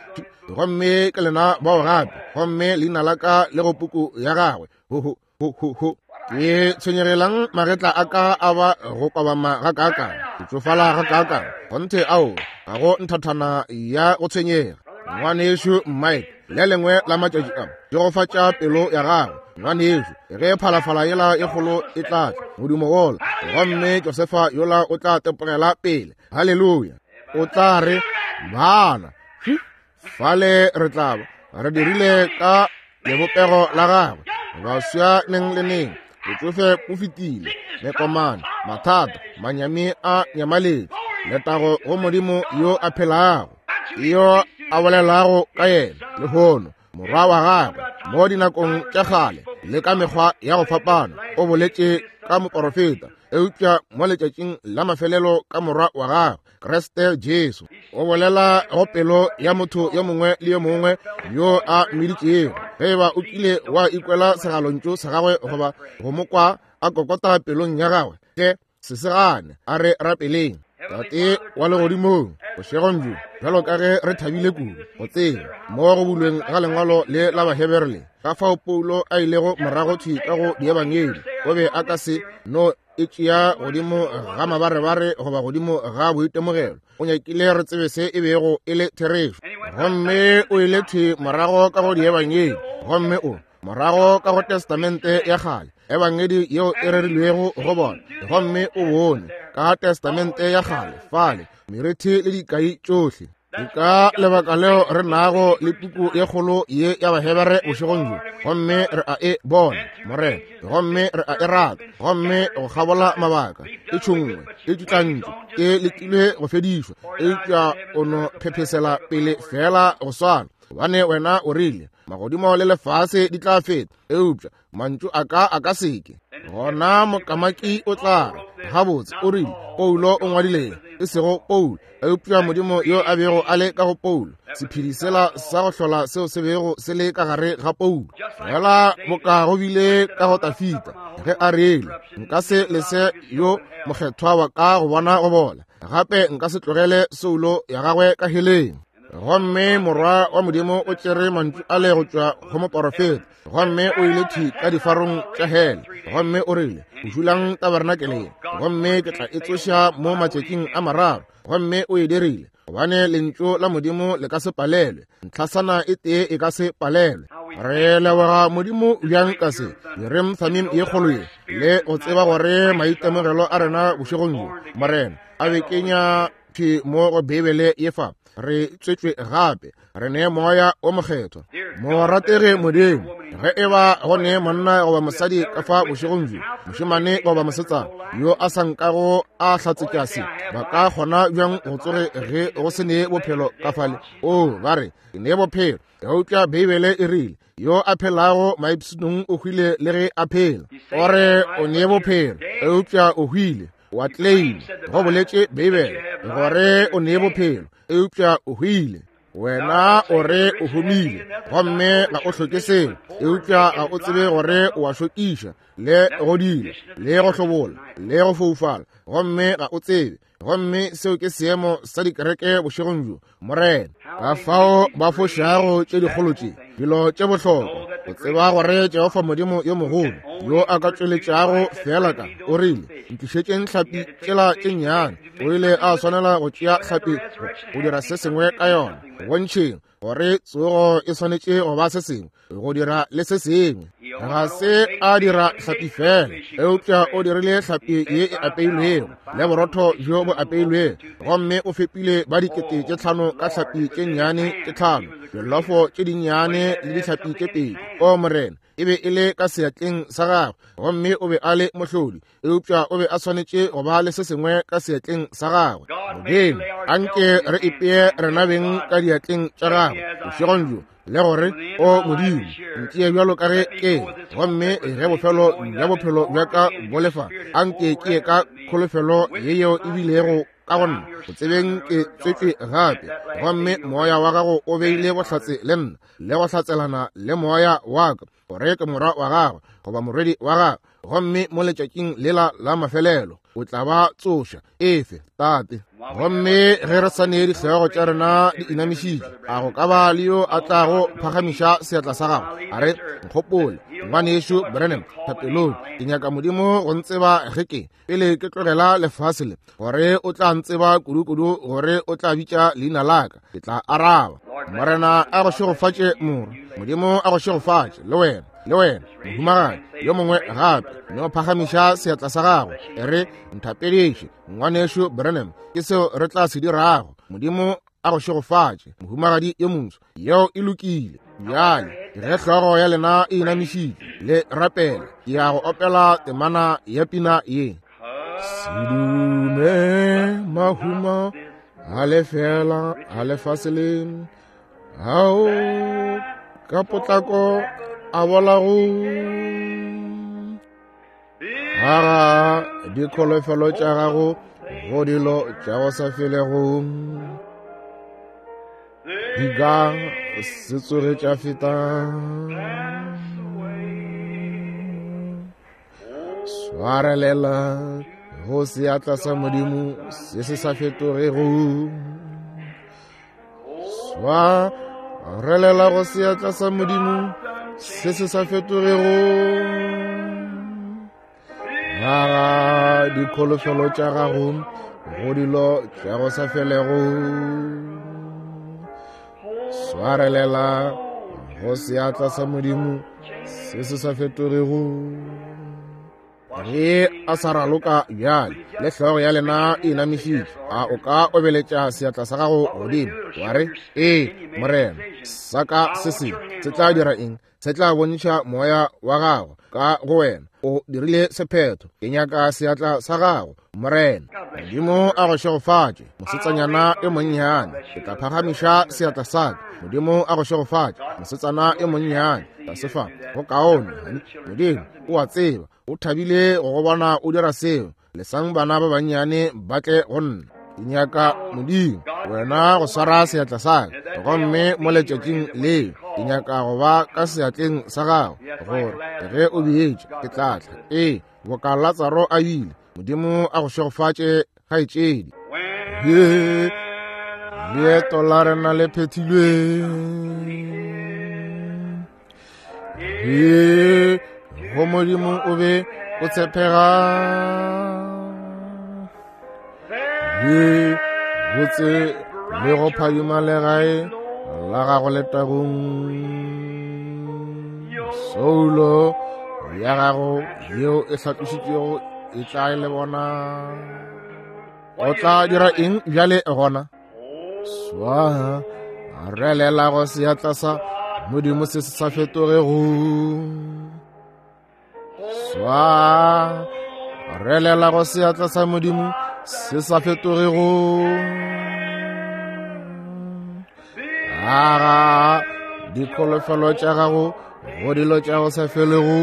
gomme ke lena bao gape, gomme leina la ka le go puku ya gagwe. Ho ho ho ho ho. Ke tshwenyegelang magetla a ka a ba go kobama ga kaakang, ke tsofala ga kaakang, kgonthe ao ga go nthathana ya go tshwenyega. Ngwanešu Mike, le lengwe la matšatši a tšegofatša pelo ya gagwe. Ngwanešu, ge phalafala yela e kgolo e tla tla modumo wola, gomme Josefa yola o tla tepogela pele. Haleluya! O tla re, bana fale re tla ba re dirile ka lebopego la gagwe, baswa neng le neng. Botsofe bo fetile, mekomane, mathata, manyami a nyamaletše. Letago go Modimo yo a phelago, yo a bolelago ka yena lehono, morwa wa gagwe mo dinakong tša kgale le ka mekgwa ya go fapana. O boletše ka moporofeta, eupša mo letšatšing la mafelelo ka morwa wa gagwe Kriste Jesu. O bolela go pelo ya motho yo mongwe le yo mongwe yo a mmiditšego. Ge eba o kile wa ikwela segalontšu sa gagwe goba go mo kwa a kokota pelong ya gagwe, hle se se gane. A re rapeleng. Tate wa legodimong, bošegong bjo, bjalo ka ge re thabile kudu go tseba mo go bulweng ga lengwalo le la Bahebere le, ka fao Paulo a ilego morago thwi ka go diebangedi, o be a ka se no e tšea godimo ga mabarebare goba godimo ga boitemogelo. O nyakile re tsebe se e bego e le therešo, gomme o ile thwi morago ka go diebangedi, gomme o morago ka go testamente ya kgale, ebangedi yeo e rerilwego go bona, gomme o bone ka testamente ya kgale fale merithi le dikai tšohle. Ke ka lebaka leo re nago le puku ye kgolo ye ya Bahebere bošegong bjo, gomme re a e bona, Morena, gomme re a e rata, gomme go kgabola mabaka e tšhungwe, e tšutlantšwe, e lekilwe go fedišwa, eupša o no phephesela pele fela go swana. Gobane wena o rile, magodimo le lefase di tla feta, eupša mantšu a ka a ka seke. Gona mokamaki o tla re, gabotse, o rile Paulo o ngwadile, e sego Paulo, eupša Modimo yo a bego a le ka go Paulo, sephedi sela sa go hlola seo se bego se le ka gare ga Paulo. Fela boka go bile ka go Tafita ge a rile, nka se lese yo mokgethwa wa ka go bona go bola, gape nka se tlogele soulo ya gagwe ka heleng. Gomme morwa wa Modimo o tšere mantšu a le go tšwa go moporofeta, gomme o ile thwi ka difarong tša hele, gomme o rile, dulang tabernakeleng, gomme ke tla e tsoša mo matšatšing a mararo. Gomme o e dirile, gobane lentšu la Modimo le ka se palelwe, ntlhasana e tee e ka se palelwe. Re leboga Modimo bjang ka se Urim Thummim ye kgolo ye, le go tseba gore maitemogelo a rena bošegong bjo, Morena, a be kenya thwi mo go Beibele ye fa. Re tswetšwe gape, re ne Moya o Mokgethwa. Morategi Modimo, ge e ba go ne monna goba mosadi ka fa bošegong bjo, mošemane goba mosetsana yo a sa nkago a hlatsetša se, ba ka kgona bjang go tsoge ge go se ne bophelo ka fale? O ba re ke ne bophelo, eupša Beibele e rile yo a phelago maipshinong o hwile le ge a phela. O re o ne bophelo, eupša o hwile. Wa claim, go boletše Beibele gore o ne bophelo, eupša o hwile. Wena o re o humile, gomme ga o hloke selo, eupša ga o tsebe gore o a šokiša, le go dila, le go hlobola, le go foufala, gomme ga o tsebe. Gomme seo ke seemo sa dikereke bošegong bjo, Morena. Ka fao ba fošago tše dikgolo tše, dilo tše bohlokwa, go tseba gore Jehofa Modimo yo mogolo yo a ka tšweletšago feela ka o rile, ntlišetšeng hlapi tšela tše nnyane. O ile a swanela go tšea hlapi go dira se sengwe ka yona, go bontšheng gore tsogo e swanetše go ba se sengwe, go dira le se sengwe. Ga se a dira hlapi fela, eupša o dirile hlapi ye e apeilwego le borotho bjo bo apeilwego, gomme o fepile ba dikete tše tlhano ka hlapi tše nnyane tše tlhano, dilofo tše dinnyane le dihlapi tše pedi. O Morena, e be e le ka seatleng sa gagwe, gomme o be a le mohlodi, eupša o be a swanetše go ba le se sengwe ka seatleng sa gagwe. Modimo, anke re ipee rena beng ka diatleng tša gagwe bošegong bjo, le gore o Modimo, ntšee bjalo ka ge ke, gomme ge bofelo bja bophelo bja ka bo lefa, anke ke ye ka kholofelo ye yeo e bilego ka go nna, go tsebeng ke tswetšwe gape, gomme moya wa gago o beile bohlatse le nna, le go hlatselana le moya wa ka, gore ke morwa wa gagwe goba morwedi wa gagwe, gomme mo letšatšing lela la mafelelo o tla ba tsoša. Efe, Tate. Gomme ge re sa ne dihlogo tša rena di inamišitše, a go ka ba le yo a tlago phagamiša seatla sa gagwe a re, nkgopole, ngwanešu Branham, thapelong, ke nyaka Modimo go ntseba ge ke pele ke tlogela lefase le, gore o tla ntseba kudu-kudu, gore o tla bitša leina la ka, ke tla araba. Morena a go šegofatše, morwa. Modimo a go šegofatše, le wena, le wena, mohumagadi. Yo mongwe gape no phagamiša seatla sa gagwe, e re, nthapediše, ngwanešu Branham, ke seo re tla se dirago. Modimo a go šegofatše, mohumagadi yo moswa. Yeo e lokile. Bjale ge hlogo ya lena e inamišitše le rapela, ke ya go opela temana ya pina ye. Sedume mahumo a lefela a lefase le, ao ka potlako a bolago, aga dikholofelo tša gago go dilo tša go sa felego, di ka se tsoge tša feta. Swarelela go seatla sa Modimo se se sa fetogego, swarelela go seatla sa Modimo se se sa fetogego, aga dikholofelo tša gago go dilo tša go sa felego, swarelela go seatla sa Modimo se se sa fetogego. Ge a sa raloka bjale, le hlogo ya lena e inamišitše, a o ka obeletša seatla sa gago godimo wa re, ee Morena, sa ka se se se tla dira eng? Se tla bontšha moya wa gago ka go wena. O dirile sephetho. Ke nyaka seatla sa gago, Morena. Modimo a go šegofatše, mosetsanyana yo monnyane. Ke tla phagamiša seatla sa ka. Modimo a go šegofatše, mosetsana yo monnyane. Tlase fa, go kaone. Modimo o a tseba, o thabile go go bona o dira seo. Lesang bana ba bannyane ba tle go nna. Ke nyaka Modimo wena go swara seatla sa ka, gomme mo letšatšing leo ke nyaka go ba ka seatleng sa gago, gore ge o beetše ke tla tla. Ee, boka Latsaro a bile. Modimo a go šegofatše, kgaetšedi. He, leeto la rena le phethilwe. He, go Modimo o be o tshepega. He, botse le go phadima legae la gago letagong. Soulo ya gago yeo e hlatlošitšwego e tla le bona. O tla dira eng bjale gona? Swa relela go seatla sa Modimo se se sa fetogego. Swa relela go seatla sa Modimo se sa fetogego. Aga dikholofelo tša gago go dilo tša go sa felego.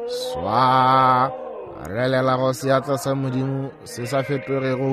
Swa relela go seatla sa Modimo se sa fetogego.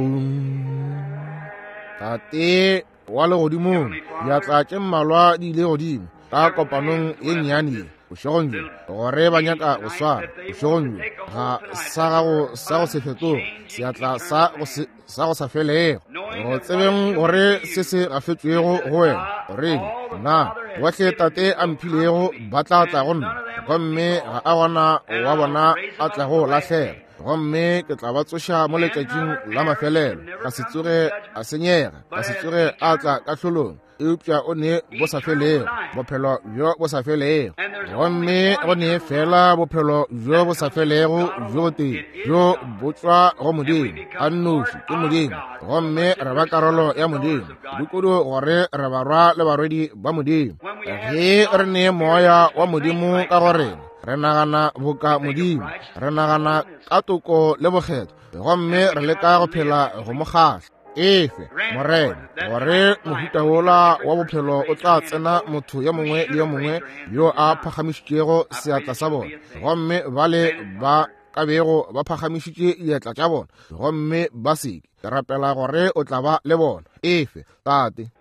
Tate wa legodimong, diatla tše mmalwa di ile godimo ka kopanong ye nnyane ye bošegong bjo, gore ba nyaka go swara bošegong bjo ga sa gago sa go se fetoge, seatla sa go se sa go sa felego, go tsebeng gore se se gafetšwego go wena, gore nna bohle Tate a mphilego ba tla tla go nna, gomme ga a gona wa bona a tla go lahlega, gomme ke tla ba tsoša mo letšatšing la mafelelo. Ga se tsoge a senyega, ga se tsoge a tla kahlolong, eupša o ne bo sa felego, bophelo bjo bo sa felego. Gomme go ne fela bophelo bjo bo sa felego bjo botee, bjo bo tšwa go Modimo a nnoši, ke Modimo, gomme re ba karolo ya Modimo, kudu gore re barwa le barwedi ba Modimo. Ge re ne moya wa Modimo ka go rena, re nagana boka Modimo, re nagana ka toko le bokgetho, gomme re leka go phela go mo kgahla. Efe Morena gore mohuta wola wa bophelo o tla tsena motho yo mongwe le yo mongwe yo a phagamišitšego seatla sa bona, gomme bale ba ka bego ba phagamišitše diatla tša bona gomme ba seke. Ke rapela gore o tla ba le bona. Efe Tate.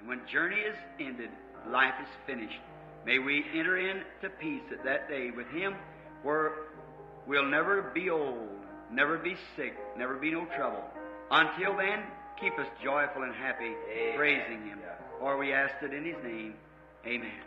May we enter into peace at that day with Him, where we'll never be old, never be sick, never be no trouble. Until then, keep us joyful and happy, Amen. Praising Him. For we ask it in His name. Amen.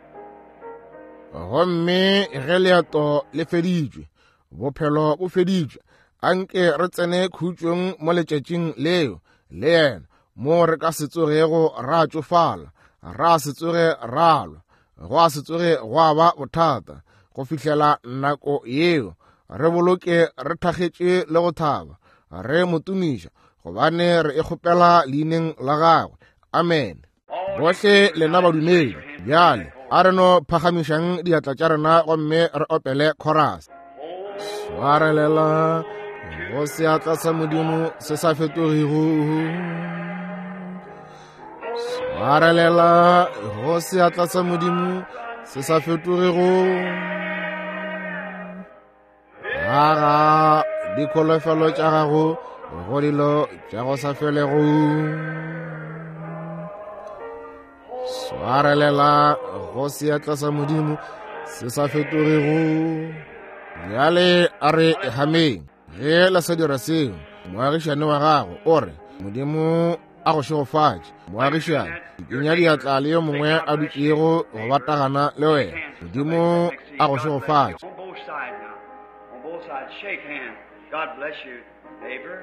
Gomme ge leeto le feditšwe, bophelo bo feditšwe, anke re tsene khutšong mo letšatšing leo le yena, mo re ka se tsogego ra tšofala, ra se tsoge ra lwa, go a se tsoge gwa ba bothata. Go fihlela nako yeo, re boloke re thakgetše le go thaba, re mo tumiša, gobane re e kgopela leineng la gagwe. Amen. Bohle lena badumedi, bjale a re no phagamišang diatla tša rena gomme re opele chorus. Swarelela go seatla sa Modimo se sa fetogego. Swarelela go seatla sa Modimo se sa fetogego. Aga dikholofelo tša gago go dilo tša go sa felego. Swarelela go seatla sa Modimo se sa fetogego. Bjale a re hameng. Ge la sa dira seo, moagišane wa gago o re, Modimo a go šegofatše. Moagišane, dikenya diatla le yo mongwe a dutšego go batagana le wena. Modimo a go šegofatše. On both sides now. On both sides, shake hands. God bless you, neighbor.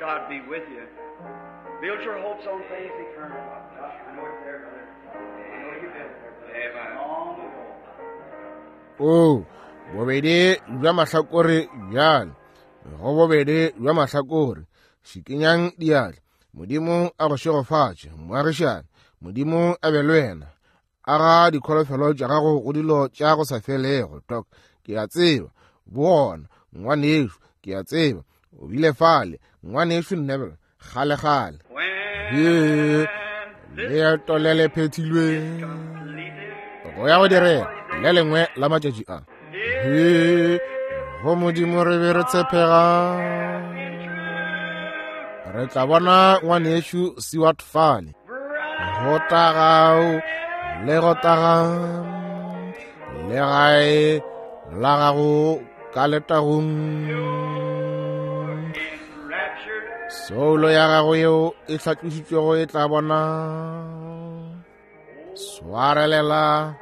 God be with you. Build your hopes on things eternal. I know it's there, brother. I know you've been there, brother. Long ago. O bobedi bja mahlakore bjale, go bobedi bja mahlakore, šikinyang diatla. Modimo a go šegofatše, moagišane. Modimo a be le wena. Aga dikholofelo tša gago go dilo tša go sa felego. Tok, ke a tseba bo gona, ngwanešo, ke a tseba o bile fale, ngwanešo Neville, kgale-kgale. He leeto le le phethilwe go ya go direga le lengwe la matšatši a. He go Modimo re be re tshepega. Re tla bona ngwanešo Seward fale, go tagao le go taga legae la gago ka letagong. Soulo ya gago yeo e hlatlošitšwego e tla bona. Swarelela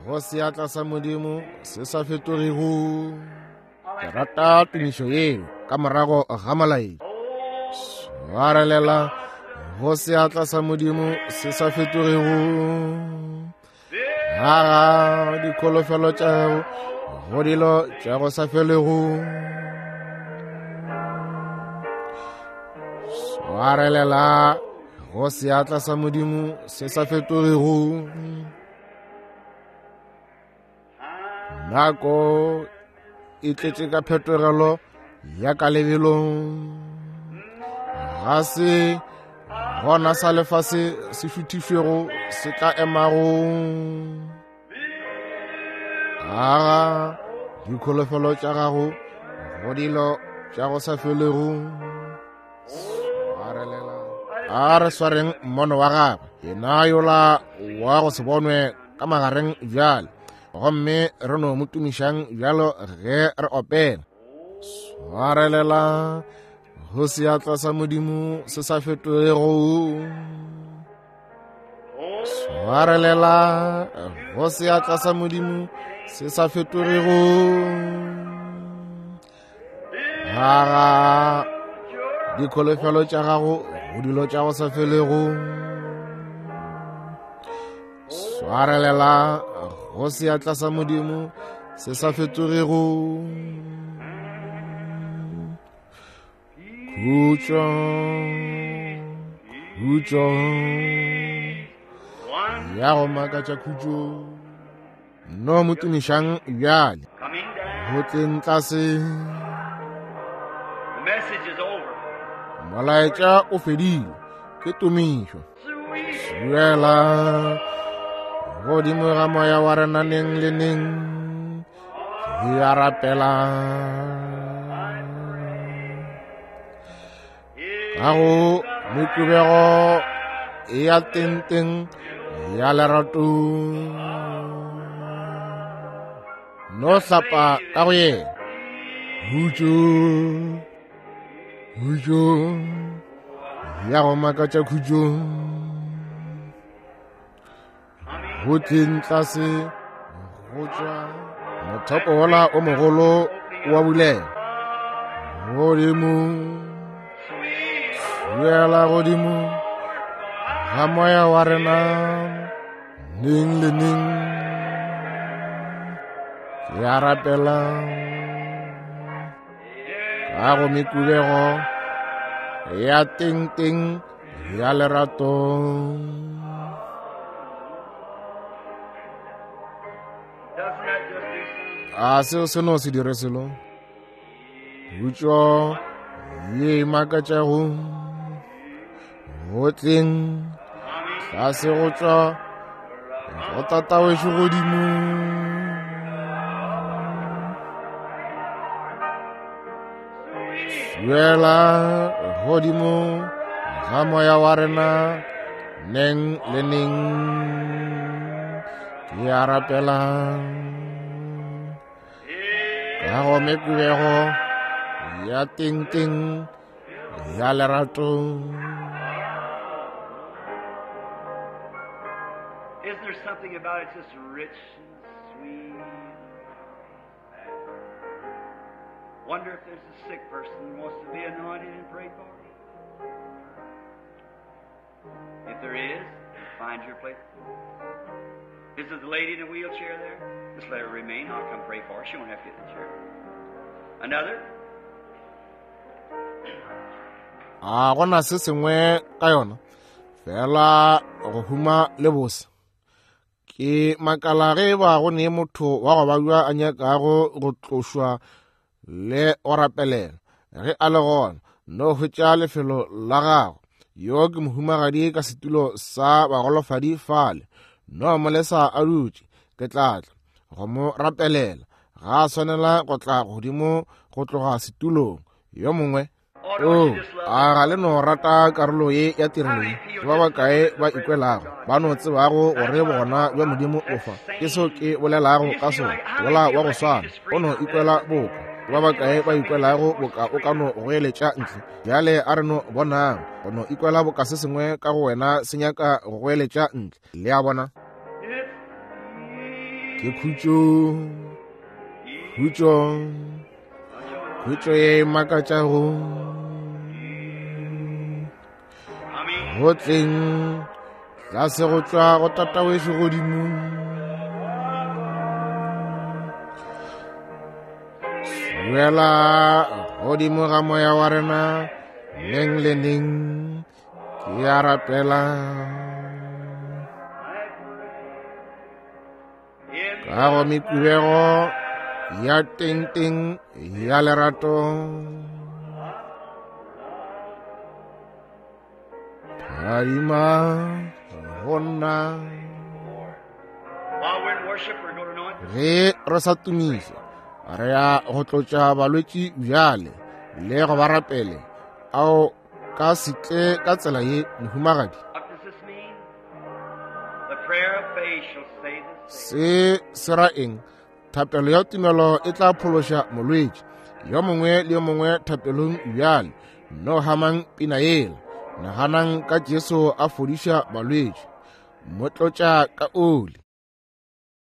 go seatla sa Modimo se sa fetogego. Ke rata tumišo yeo ka morago ga molaetša. Swarelela go seatla sa Modimo se sa fetogego. Aga dikholofelo tša go dilo tša go sa felego. Swarelela go seatla sa Modimo se sa fetogego. Nako e tletše ka phetogelo ya ka lebelong. Ga se gona sa lefase se šuthišwego se tla emago. Aga dikholofelo tša gago go dilo tša go sa felego. Swarelela. A re swareng mmono wa gagwe, yena yola wa go se bonwe ka magareng bjale, gomme re no mo tumišang bjalo ge re opela. Swarelela go seatla sa Modimo se sa fetogego. Swarelela go seatla sa Modimo se sa fetogego. Aga dikholofelo tša gago go dilo tša go sa felego. Swarelela go seatla sa Modimo se sa fetogego. Khutšo, khutšo ya go makatša khutšo. No mo tumišang bjale go tleng tlase. Molaetša o fedile, ke tumišo. Suela godimo ga moya wa rena neng le neng. Ke a rapela ka go mekubego ya tenteng ya lerato. No hlapa ka go yena. Khutšo, khutšo ya go makatša khutšo. Go tleng tlase go tšwa mothopo wola o mogolo wa bulela. Godimo, suela godimo ga moya wa rena neng le neng. Ke a rapela ka go mekubego ya teng-teng ya lerato. A seo se no se dire selo. Khutšo ye e makatšago go tleng tlase go tšwa go Tatawešo godimo. Suela godimo ga moya wa rena neng le neng. Ke a rapela ka go mekubego ya teng-teng ya lerato. Isn't there something about it just rich and sweet? Wonder if there's a sick person who wants to be anointed and prayed for. If there is, find your place. Is there the lady in the wheelchair there? Just let her remain. I'll come pray for her. She won't have to get in the chair. Another? A gona se sengwe ka yona fela go huma le bose. Ke makala ge ba go ne motho wa go babja a nyakago go tlošwa le go rapelela. Ge a le gona, no hwetša lefelo la gago. Yo ke mohumagadi ka setulo sa bagolofadi fale. No molesa a dutše, ke tla tla go mo rapelela. Ga a swanela go tla godimo go tloga setulong. Yo mongwe o a ga le no rata karolo ye ya tirelo ye. Ke ba bakae ba ikwelago ba no tsebago gore bogona bja Modimo bo fa? Ke seo ke bolelago ka sona, wola wa go swana o no ikwela boka. Ke ba bakae ba ikwelago boka o ka no goeletša ntle? Bjale a re no bonang go no ikwela boka se sengwe ka go wena se nyaka go goeletša ntle. Le a bona? Ke khutšo, khutšo, khutšo ye e makatšago. Go tleng tlase go tšwa go Tatawešo godimo. Wela godimo ga moya wa rena neng le neng, ke a rapela. Ka go mekubego ya tengteng ya lerato, phadima go nna. Ge re sa tumiša, re ya go tlotša balwetši bjale le go ba rapele. Ao ka se tle ka tsela ye, mohumagadi. Se se ra eng? Thapelo ya tumelo e tla phološa molwetši yo mongwe le yo mongwe thapelong bjale. No hamang pina yela. Naganang ka Jesu a fodiša balwetši, mo tlotša ka oli.